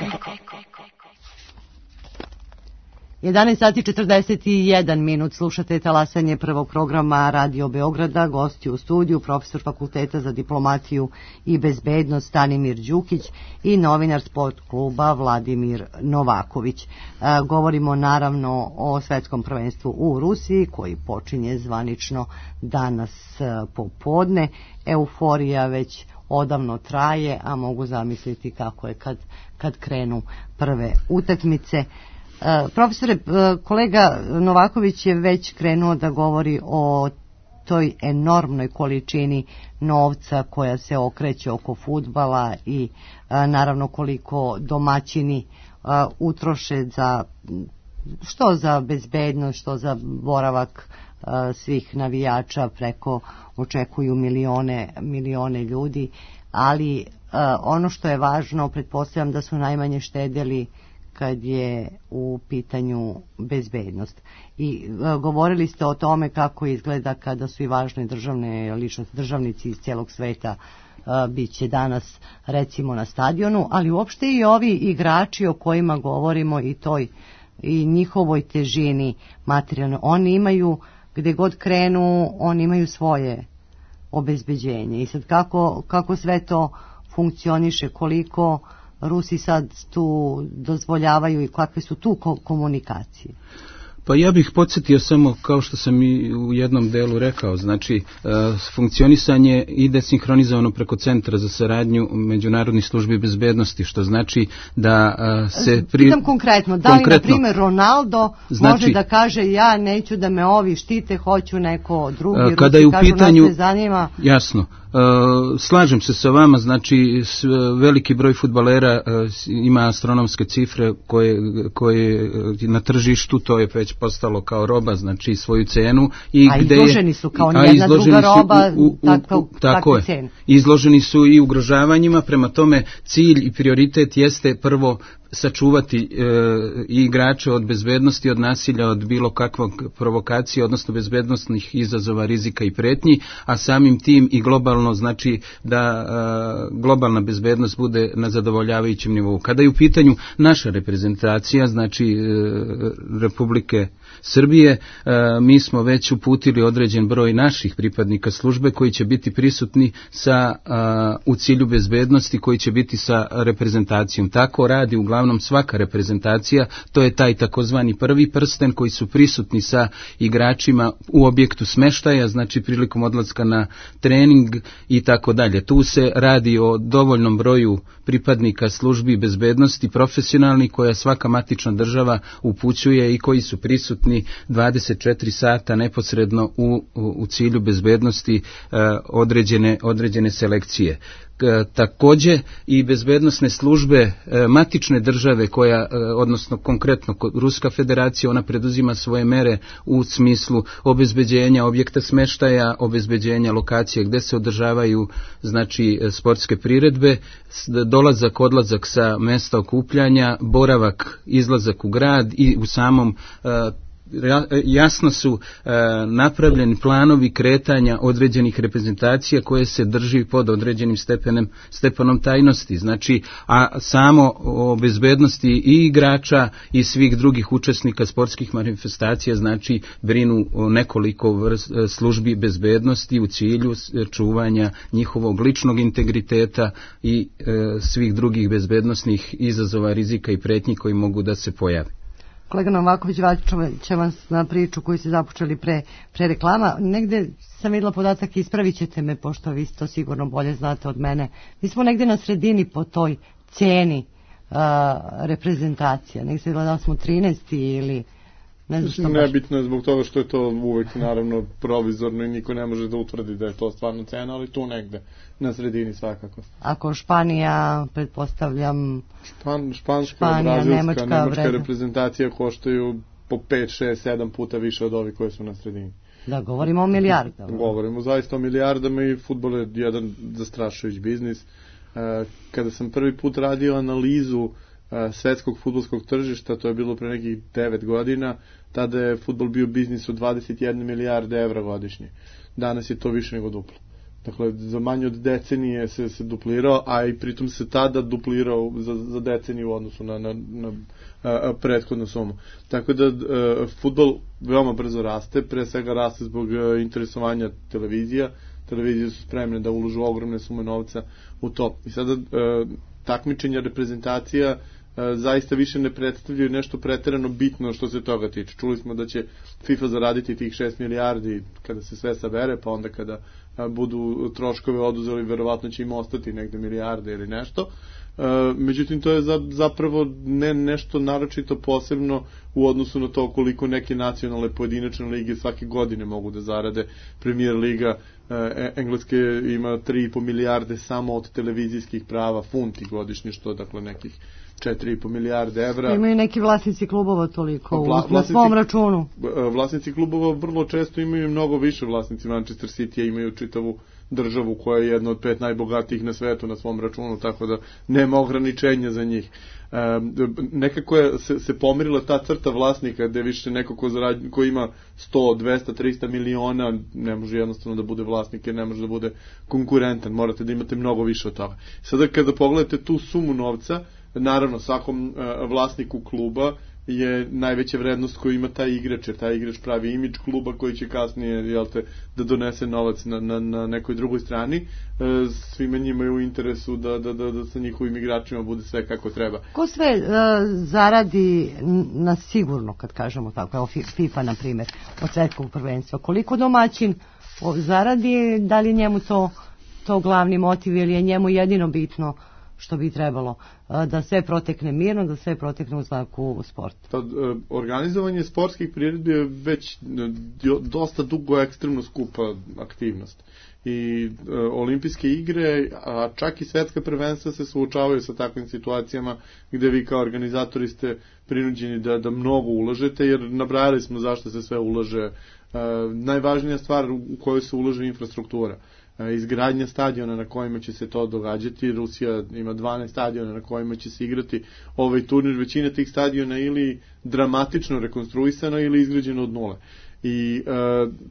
jedanaest sati četrdeset jedan minut, slušate talasanje prvog programa Radio Beograda, gosti u studiju, profesor Fakulteta za diplomatiju i bezbednost Stanimir Đukić i novinar Sport kluba Vladimir Novaković. E, govorimo naravno o svetskom prvenstvu u Rusiji koji počinje zvanično danas popodne. Euforija već odavno traje, a mogu zamisliti kako je kad, kad krenu prve utakmice. Uh, profesore, uh, kolega Novaković je već krenuo da govori o toj enormnoj količini novca koja se okreće oko fudbala i uh, naravno koliko domaćini uh, utroše za što za bezbednost, što za boravak uh, svih navijača, preko očekuju milione, milione ljudi, ali uh, ono što je važno, pretpostavljam da su najmanje štedjeli kad je u pitanju bezbednost. I e, govorili ste o tome kako izgleda kada su i važne državne ličnosti, državnici iz cijelog sveta e, bit će danas recimo na stadionu, ali uopšte i ovi igrači o kojima govorimo i toj i njihovoj težini materijalno. Oni imaju, gde god krenu, oni imaju svoje obezbeđenje. I sad kako, kako sve to funkcioniše, koliko Rusi sad tu dozvoljavaju i kakve su tu komunikacije? Pa ja bih podsjetio samo, kao što sam i u jednom delu rekao, znači e, funkcionisanje ide sinhronizovano preko Centra za saradnju međunarodnih službi bezbednosti, što znači da e, se... Pri... Pitam konkretno, da konkretno, li, na primjer, Ronaldo znači, može da kaže ja neću da me ovi štite, hoću neko drugi, Rusi kada je u kažu pitanju, nas ne zanima. Jasno. Uh, slažem se sa vama, znači s, veliki broj fudbalera uh, ima astronomske cifre koje, koje na tržištu, to je već postalo kao roba, znači svoju cenu. I a gde izloženi su kao nijedna druga roba, u, u, u, u, tako je. Izloženi su i ugrožavanjima, prema tome cilj i prioritet jeste prvo sačuvati e, i igrače od bezbednosti, od nasilja, od bilo kakvog provokacije, odnosno bezbednostnih izazova, rizika i pretnji, a samim tim i globalno, znači da e, globalna bezbednost bude na zadovoljavajućem nivou. Kada je u pitanju naša reprezentacija, znači e, Republike Srbije, e, mi smo već uputili određen broj naših pripadnika službe koji će biti prisutni sa, a, u cilju bezbednosti, koji će biti sa reprezentacijom. Tako radi uglavnom svaka reprezentacija, to je taj takozvani prvi prsten koji su prisutni sa igračima u objektu smeštaja, znači prilikom odlaska na trening i tako dalje. Tu se radi o dovoljnom broju pripadnika službi bezbednosti profesionalni koja svaka matična država upućuje i koji su prisutni dvadeset četiri sata neposredno u, u, u cilju bezbednosti e, određene, određene selekcije. Takođe i bezbednosne službe matične države koja, odnosno konkretno Ruska federacija, ona preduzima svoje mere u smislu obezbeđenja objekta smeštaja, obezbeđenja lokacije gde se održavaju znači sportske priredbe, dolazak, odlazak sa mesta okupljanja, boravak, izlazak u grad i u samom jasno su e, napravljeni planovi kretanja određenih reprezentacija koje se drži pod određenim stepenem, stepenom tajnosti. Znači, a samo o bezbednosti i igrača i svih drugih učesnika sportskih manifestacija, znači brinu o nekoliko vrst, službi bezbednosti u cilju čuvanja njihovog ličnog integriteta i e, svih drugih bezbednosnih izazova, rizika i pretnji koji mogu da se pojave. Kolega Novaković, vratit će vas na priču koju ste započeli pre, pre reklama. Negde sam vidjela podatak, ispravit ćete me, pošto vi to sigurno bolje znate od mene. Mi smo negde na sredini po toj ceni uh, reprezentacija. Negde se vidjela da smo trinaesti ili... Ne znam što nebitno je zbog toga što je to uvek naravno provizorno i niko ne može da utvrdi da je to stvarno cena, ali tu negde na sredini svakako. Ako Španija, pretpostavljam Špan, Španska, Španija, Brazilska, Nemačka, Nemačka vreda. reprezentacija koštaju po pet, šest, sedam puta više od ovih koje su na sredini. Da, govorimo o milijardama. Govorimo zaista o milijardama i fudbal je jedan zastrašujući biznis. Kada sam prvi put radio analizu svetskog fudbalskog tržišta, to je bilo pre nekih devet godina, tada je fudbal bio biznis od dvadeset jedna milijarde evra godišnje. Danas je to više nego duplo. Dakle, za manje od decenije se, se duplirao, a i pritom se tada duplirao za, za deceniju u odnosu na, na, na a, a, prethodnu sumu. Tako da a, fudbal veoma brzo raste, pre svega raste zbog a, interesovanja televizija. Televizije su spremne da uložu ogromne sume novca u to. I sada a, takmičenja reprezentacija zaista više ne predstavljaju nešto preterano bitno što se toga tiče. Čuli smo da će FIFA zaraditi tih šest milijardi kada se sve sabere, pa onda kada budu troškove oduzeli, verovatno će im ostati negde milijarde ili nešto. Međutim, to je zapravo ne nešto naročito posebno u odnosu na to koliko neke nacionalne pojedinačne lige svake godine mogu da zarade. Premier liga Engleske ima tri i po milijarde samo od televizijskih prava, funti godišnje, što dakle nekih četiri i po milijarde evra. Imaju neki vlasnici klubova toliko Vla, na svom računu. Vlasnici klubova vrlo često imaju mnogo više. Vlasnici Manchester City imaju čitavu državu koja je jedna od pet najbogatijih na svetu na svom računu, tako da nema ograničenja za njih. E, nekako je se, se pomirila ta crta vlasnika gde više neko ko, zarad, ko ima sto, dvesta, trista miliona ne može jednostavno da bude vlasnik jer ne može da bude konkurentan, morate da imate mnogo više od toga. Sada kada pogledate tu sumu novca, naravno svakom e, vlasniku kluba je najveća vrednost koju ima taj igrač, jer taj igrač pravi imidž kluba koji će kasnije, jel te, da donese novac na, na, na nekoj drugoj strani. E, svima njima je u interesu da, da, da, da sa njihovim igračima bude sve kako treba. Ko sve e, zaradi na sigurno, kad kažemo tako, evo FIFA na primjer, od svetskog prvenstva, koliko domaćin zaradi, da li njemu to, to glavni motiv ili je njemu jedino bitno što bi trebalo da sve protekne mirno, da sve protekne u znaku sporta. Pa, organizovanje sportskih priredbi je već dosta dugo ekstremno skupa aktivnost. I e, olimpijske igre, a čak i svetska prvenstva se suočavaju sa takvim situacijama gde vi kao organizatori ste prinuđeni da, da mnogo ulažete, jer nabrajali smo zašto se sve ulaže. E, najvažnija stvar u kojoj se ulaže infrastruktura. Izgradnja stadiona na kojima će se to događati. Rusija ima dvanaest stadiona na kojima će se igrati ovaj turnir. Većina tih stadiona ili dramatično rekonstruisana ili izgrađena od nule. I e,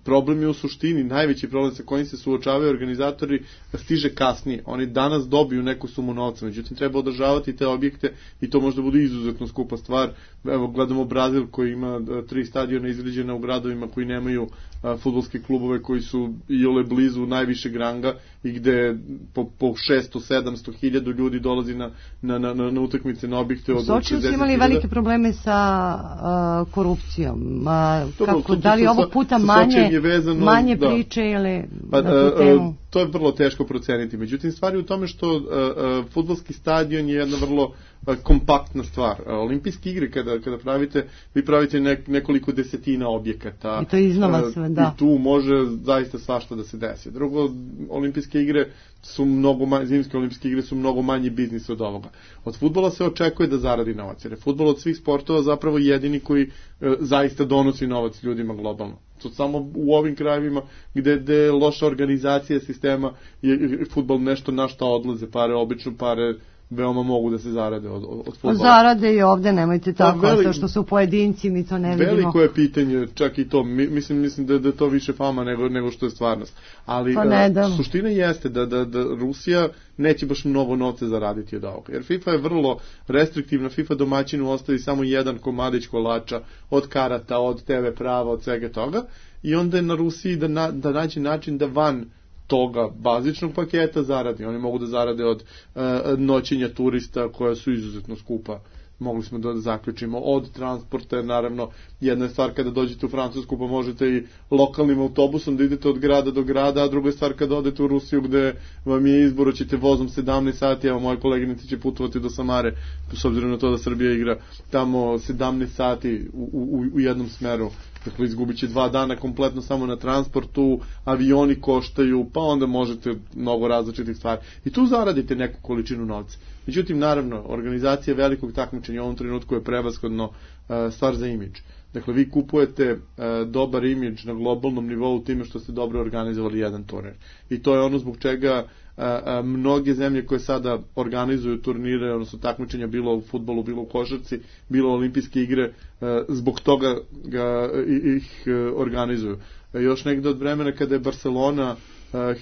problem je u suštini, najveći problem sa kojim se suočavaju organizatori stiže kasnije. Oni danas dobiju neku sumu novca, međutim treba održavati te objekte i to možda bude izuzetno skupa stvar. Evo, gledamo Brazil koji ima tri stadiona izgrađena u gradovima koji nemaju a, fudbalske klubove koji su i ole blizu najvišeg ranga i gde po, po šesto sedamsto hiljada ljudi dolazi na, na, na, na utakmice na objekte od šezdeset hiljada. Soči su imali velike probleme sa uh, korupcijom. A, Dobro, kako, da li ovog puta manje, vezano, manje da. priče ili pa, na tu temu? To je vrlo teško proceniti. Međutim, stvar je u tome što uh, uh, fudbalski stadion je jedna vrlo uh, kompaktna stvar. Uh, olimpijske igre, kada, kada pravite, vi pravite nek, nekoliko desetina objekata. I to iznova sve, da. I tu može zaista svašta da se desi. Drugo, olimpijske igre su mnogo manje, zimske olimpijske igre su mnogo manji biznis od ovoga. Od fudbala se očekuje da zaradi novac, jer je fudbal od svih sportova zapravo jedini koji uh, zaista donosi novac ljudima globalno. To samo u ovim krajevima gde, gde je loša organizacija sistema je fudbal nešto na šta odlaze pare, obično pare veoma mogu da se zarade od, od fudbala. Zarade i ovde, nemojte tako, veli, to što su pojedinci, mi to ne vidimo. Veliko je pitanje, čak i to, mislim, mislim da, da je to više fama nego, nego što je stvarnost. Ali pa ne da. Suština jeste da, da, da Rusija neće baš mnogo novca zaraditi od ovoga. Jer FIFA je vrlo restriktivna, FIFA domaćinu ostavi samo jedan komadić kolača od karata, od te ve prava, od svega toga, i onda je na Rusiji da, na, da nađe način da van toga bazičnog paketa zaradi. Oni mogu da zarade od uh, noćenja turista koja su izuzetno skupa. Mogli smo da zaključimo od transporta, naravno jedna je stvar kada dođete u Francusku pa možete i lokalnim autobusom da idete od grada do grada, a druga je stvar kada odete u Rusiju gde vam je izbor, hoćete vozom sedamnaest sati, evo moje koleginice će putovati do Samare, s obzirom na to da Srbija igra tamo sedamnaest sati u, u, u jednom smeru. Dakle, izgubit će dva dana kompletno samo na transportu, avioni koštaju, pa onda možete mnogo različitih stvari. I tu zaradite neku količinu novca. Međutim, naravno, organizacija velikog takmičenja u ovom trenutku je prevashodno uh, stvar za imidž. Dakle, vi kupujete uh, dobar imidž na globalnom nivou time što ste dobro organizovali jedan turnir. I to je ono zbog čega uh, uh, mnoge zemlje koje sada organizuju turnire, odnosno takmičenja, bilo u fudbalu, bilo u košarci, bilo olimpijske igre, uh, zbog toga ga, ih uh, organizuju. Uh, još negde od vremena kada je Barcelona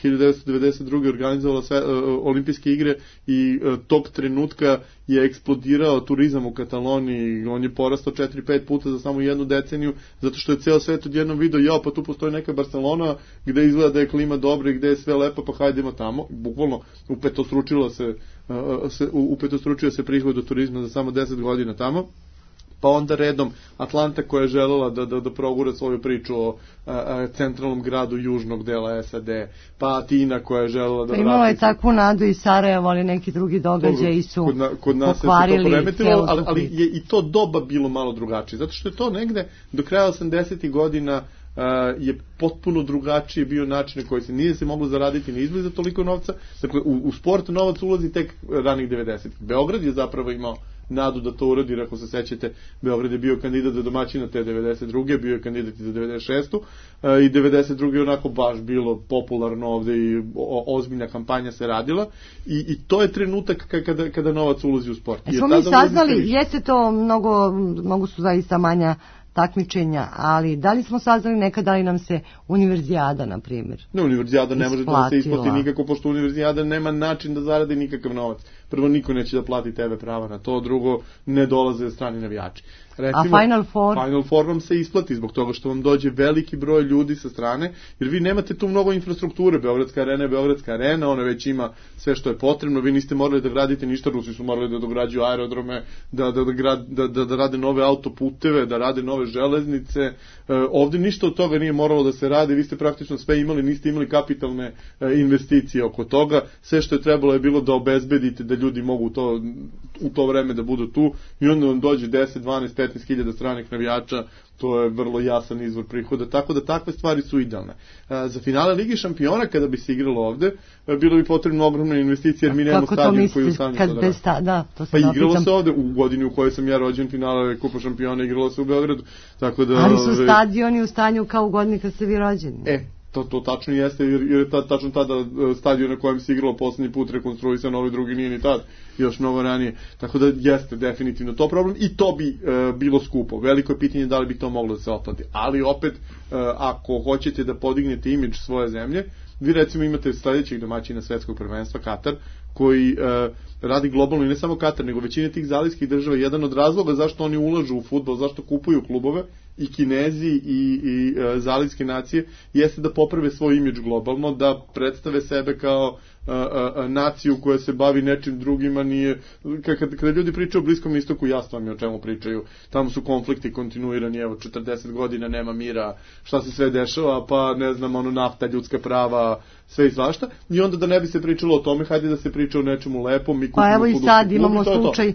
hiljadu devetsto devedeset druge organizovala sve uh, olimpijske igre i uh, tog trenutka je eksplodirao turizam u Kataloniji, on je porastao četiri pet puta za samo jednu deceniju, zato što je ceo svet odjednom video, ja, pa tu postoji neka Barcelona gde izgleda da je klima dobra i gde je sve lepo, pa hajdemo tamo. Bukvalno upetostručilo se, uh, se upetostručio se prihod od turizma za samo deset godina tamo. Pa onda redom Atlanta koja je želela da, da, da progura svoju priču o a, a, centralnom gradu južnog dela es a de, pa Atina koja je želela da vrati... Imala je takvu nadu i Sarajevo, ali neki drugi događaji su kod, na, kod nas pokvarili celu ali, ali je i to doba bilo malo drugačije, zato što je to negde do kraja osamdesetih godina Uh, je potpuno drugačije bio način na koji se nije se moglo zaraditi ni izbliza toliko novca. Dakle, u, u sport novac ulazi tek ranih devedesetih. Beograd je zapravo imao nadu da to uradi, ako se sećate, Beograd je bio kandidat za domaćina te devedeset druge, bio je kandidat i za devedeset šestu uh, i devedeset druge je onako baš bilo popularno ovde i o, ozbiljna kampanja se radila i, i to je trenutak kada, kada novac ulazi u sport. E, smo mi saznali, jeste to mnogo, mnogo su zaista manja takmičenja, ali da li smo saznali nekada, da li nam se univerzijada, na primjer, ne, univerzijada ne može da se isplati nikako, pošto univerzijada nema način da zaradi nikakav novac. Prvo, niko neće da plati te ve prava na to, drugo, ne dolaze strani navijači. Recimo, a Final Four? Final Four vam se isplati zbog toga što vam dođe veliki broj ljudi sa strane, jer vi nemate tu mnogo infrastrukture. Beogradska arena je Beogradska arena, ona već ima sve što je potrebno, vi niste morali da gradite ništa, Rusi su morali da dograđuju aerodrome, da, da, da, da, da, da rade nove autoputeve, da rade nove železnice. E, ovde ništa od toga nije moralo da se radi, vi ste praktično sve imali, niste imali kapitalne e, investicije oko toga, sve što je trebalo je bilo da obezbedite da ljudi mogu to, u to vreme da budu tu i onda vam dođe deset, dvanaest, petnaest hiljada stranih navijača, to je vrlo jasan izvor prihoda, tako da takve stvari su idealne. A, za finale Ligi šampiona, kada bi se igralo ovde, bilo bi potrebno ogromna investicija, jer mi nemamo stadion koji je u stanju to da radi. Sta, da, to pa igralo se ovde, u godini u kojoj sam ja rođen, finale Kupa šampiona igralo se u Beogradu. Tako da, ali su stadioni u stanju kao u godini kad ste vi rođeni. E, To, to tačno jeste, jer, jer je ta, tačno tada stadion na kojem se igralo poslednji put rekonstruisan, ovaj drugi nije ni tad, još mnogo ranije. Tako da jeste definitivno to problem i to bi e, bilo skupo. Veliko je pitanje da li bi to moglo da se otplati. Ali opet, e, ako hoćete da podignete imidž svoje zemlje, vi recimo imate sledećeg domaćina svetskog prvenstva, Katar, koji e, radi globalno i ne samo Katar, nego većina tih zalivskih država. Jedan od razloga zašto oni ulažu u fudbal, zašto kupuju klubove, i Kinezi i, i e, zalivske nacije, jeste da poprave svoj imidž globalno, da predstave sebe kao a, a, a, naciju koja se bavi nečim drugima. Nije, kada, kada ljudi pričaju o Bliskom istoku, jasno mi o čemu pričaju. Tamo su konflikti kontinuirani, evo četrdeset godina nema mira, šta se sve dešava, pa ne znam, ono, nafta, ljudska prava, sve i svašta. I onda da ne bi se pričalo o tome, hajde da se priča o nečemu lepom. Mi pa evo i sad imamo slučaj uh,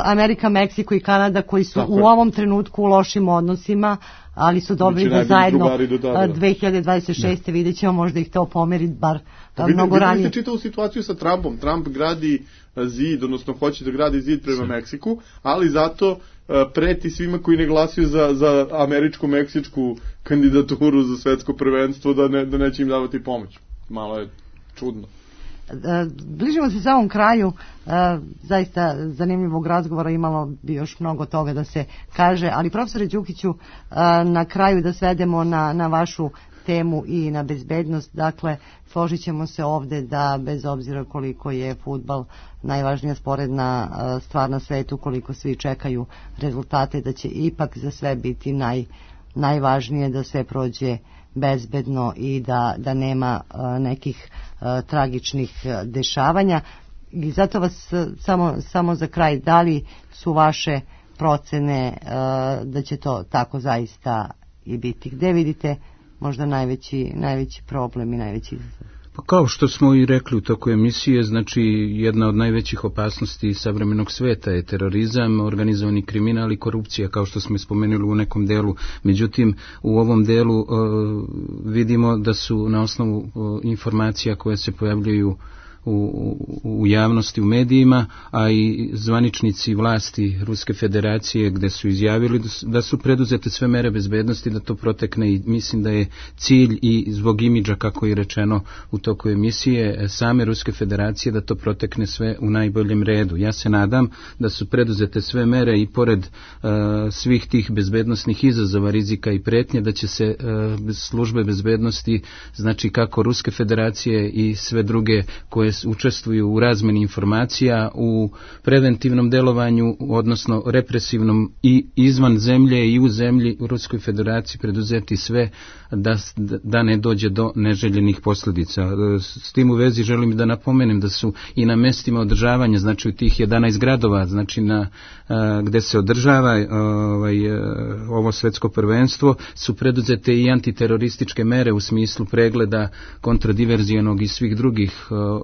Amerika, Meksiko i Kanada koji su tako u je. ovom trenutku u lošim odnosima, ali su dobri da zajedno dve hiljade dvadeset šeste ne. Vidjet ćemo, možda ih to pomeri bar da mnogo ranije. Vidite čitavu situaciju sa Trumpom. Trump gradi zid, odnosno hoće da gradi zid prema Meksiku, ali zato uh, preti svima koji ne glasuju za, za američko-meksičku kandidaturu za svetsko prvenstvo da, ne, da neće im davati pomoć. Malo je čudno. Bližimo se samom kraju, zaista zanimljivog razgovora, imalo bi još mnogo toga da se kaže, ali profesore Đukiću, na kraju da svedemo na, na vašu temu i na bezbednost. Dakle, složit ćemo se ovde da bez obzira koliko je fudbal najvažnija sporedna stvar na svetu, koliko svi čekaju rezultate, da će ipak za sve biti naj, najvažnije da sve prođe bezbedno i da, da nema uh, nekih uh, tragičnih uh, dešavanja. I zato vas uh, samo, samo za kraj, da li su vaše procene uh, da će to tako zaista i biti? Gde vidite možda najveći, najveći problem i najveći izazov? Pa kao što smo i rekli u toku emisije, znači jedna od najvećih opasnosti savremenog sveta je terorizam, organizovani kriminal i korupcija, kao što smo spomenuli u nekom delu. Međutim, u ovom delu uh, vidimo da su na osnovu uh, informacija koje se pojavljuju U, u javnosti, u medijima, a i zvaničnici vlasti Ruske federacije gde su izjavili da su preduzete sve mere bezbednosti da to protekne, i mislim da je cilj i zbog imidža, kako je rečeno u toku emisije, same Ruske federacije da to protekne sve u najboljem redu. Ja se nadam da su preduzete sve mere i pored uh, svih tih bezbednosnih izazova, rizika i pretnje, da će se uh, službe bezbednosti, znači kako Ruske federacije i sve druge koje učestvuju u razmeni informacija, u preventivnom delovanju, odnosno represivnom i izvan zemlje i u zemlji, u Ruskoj federaciji preduzeti sve da, da ne dođe do neželjenih posljedica. S tim u vezi želim da napomenem da su i na mestima održavanja, znači u tih jedanaest gradova, znači na a, gde se održava ovaj, ovo svetsko prvenstvo, su preduzete i antiterorističke mere u smislu pregleda kontradiverzijanog i svih drugih a,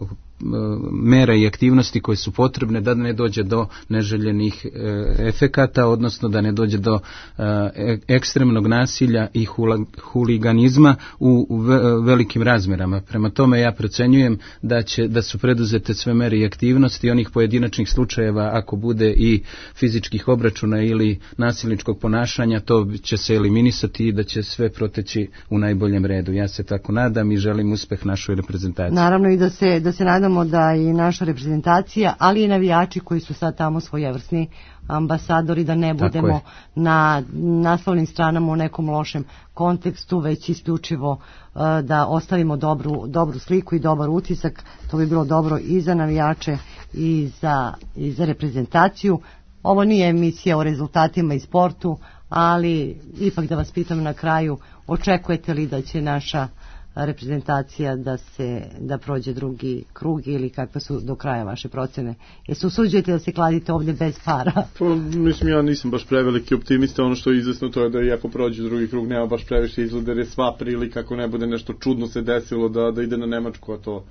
mera i aktivnosti koje su potrebne da ne dođe do neželjenih e, efekata, odnosno da ne dođe do e, ekstremnog nasilja i hula, huliganizma u, u velikim razmerama. Prema tome ja procenjujem da će da su preduzete sve mere i aktivnosti onih pojedinačnih slučajeva, ako bude i fizičkih obračuna ili nasilničkog ponašanja, to će se eliminisati i da će sve proteći u najboljem redu. Ja se tako nadam i želim uspeh našoj reprezentaciji. Naravno i da se da se nadam da i naša reprezentacija, ali i navijači koji su sad tamo svojevrsni ambasadori, da ne budemo na naslovnim stranama u nekom lošem kontekstu, već isključivo uh, da ostavimo dobru, dobru sliku i dobar utisak. To bi bilo dobro i za navijače i za, i za reprezentaciju. Ovo nije emisija o rezultatima i sportu, ali ipak da vas pitam na kraju, očekujete li da će naša reprezentacija da se da prođe drugi krug ili kakve su do kraja vaše procene? Jesu usuđujete da se kladite ovdje bez para? Pa, mislim, ja nisam baš preveliki optimista. Ono što je izvesno to je da iako prođe drugi krug nema baš previše izgleda, jer je sva prilika ako ne bude nešto čudno se desilo da, da ide na Nemačku, a to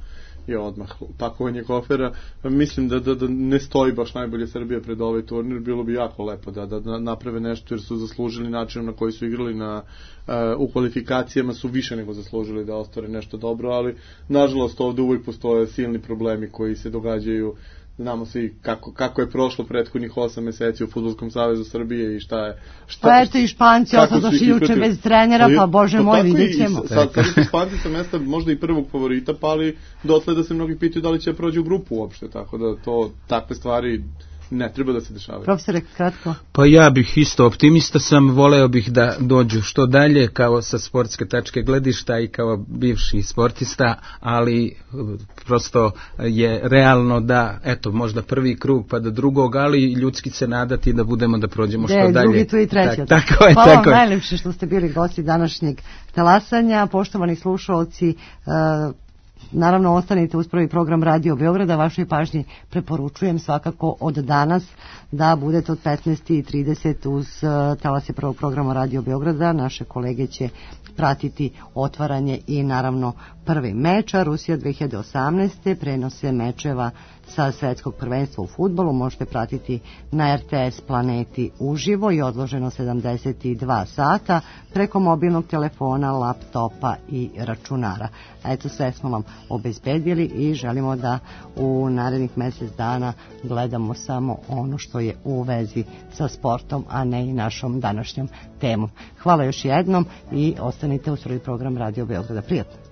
je odmah pakovanje kofera. Mislim da, da, da ne stoji baš najbolje Srbija pred ovaj turnir. Bilo bi jako lepo da, da naprave nešto, jer su zaslužili načinom na koji su igrali na, uh, u kvalifikacijama, su više nego zaslužili da ostvare nešto dobro, ali nažalost ovde uvijek postoje silni problemi koji se događaju. Znamo svi kako, kako je prošlo prethodnih osam meseci u Fudbalskom savezu Srbije i šta je... Šta, pa eto i Španci otadošli juče bez trenera, pa bože pa moj, vidjet ćemo. Sad, sad su Španci sa mesta možda i prvog favorita, pa ali dotle da se mnogi pitaju da li će prođu u grupu uopšte, tako da to takve stvari ne treba da se dešavaju. Profesore, kratko. Pa ja bih isto optimista sam, voleo bih da dođu što dalje kao sa sportske tačke gledišta i kao bivši sportista, ali prosto je realno da, eto, možda prvi krug pa do drugog, ali ljudski se nadati da budemo da prođemo što De, dalje. Drugi, tu i treći. Tak, tako je, Hvala tako vam najlepše što ste bili gosti današnjeg talasanja. Poštovani slušalci, uh, naravno ostanite uz prvi program Radio Beograda. Vašoj pažnji preporučujem svakako od danas da budete od petnaest i trideset uz uh, talase prvog programa Radio Beograda. Naše kolege će pratiti otvaranje i naravno prvi meča. Rusija dve hiljade osamnaeste prenose mečeva sa svetskog prvenstva u fudbalu možete pratiti na R T S Planeti uživo i odloženo sedamdeset dva sata preko mobilnog telefona, laptopa i računara. Eto, sve smo vam obezbedili i želimo da u narednih mjesec dana gledamo samo ono što je u vezi sa sportom, a ne i našom današnjom temom. Hvala još jednom i ostanite uz prvi program Radio Beograda. Prijatno.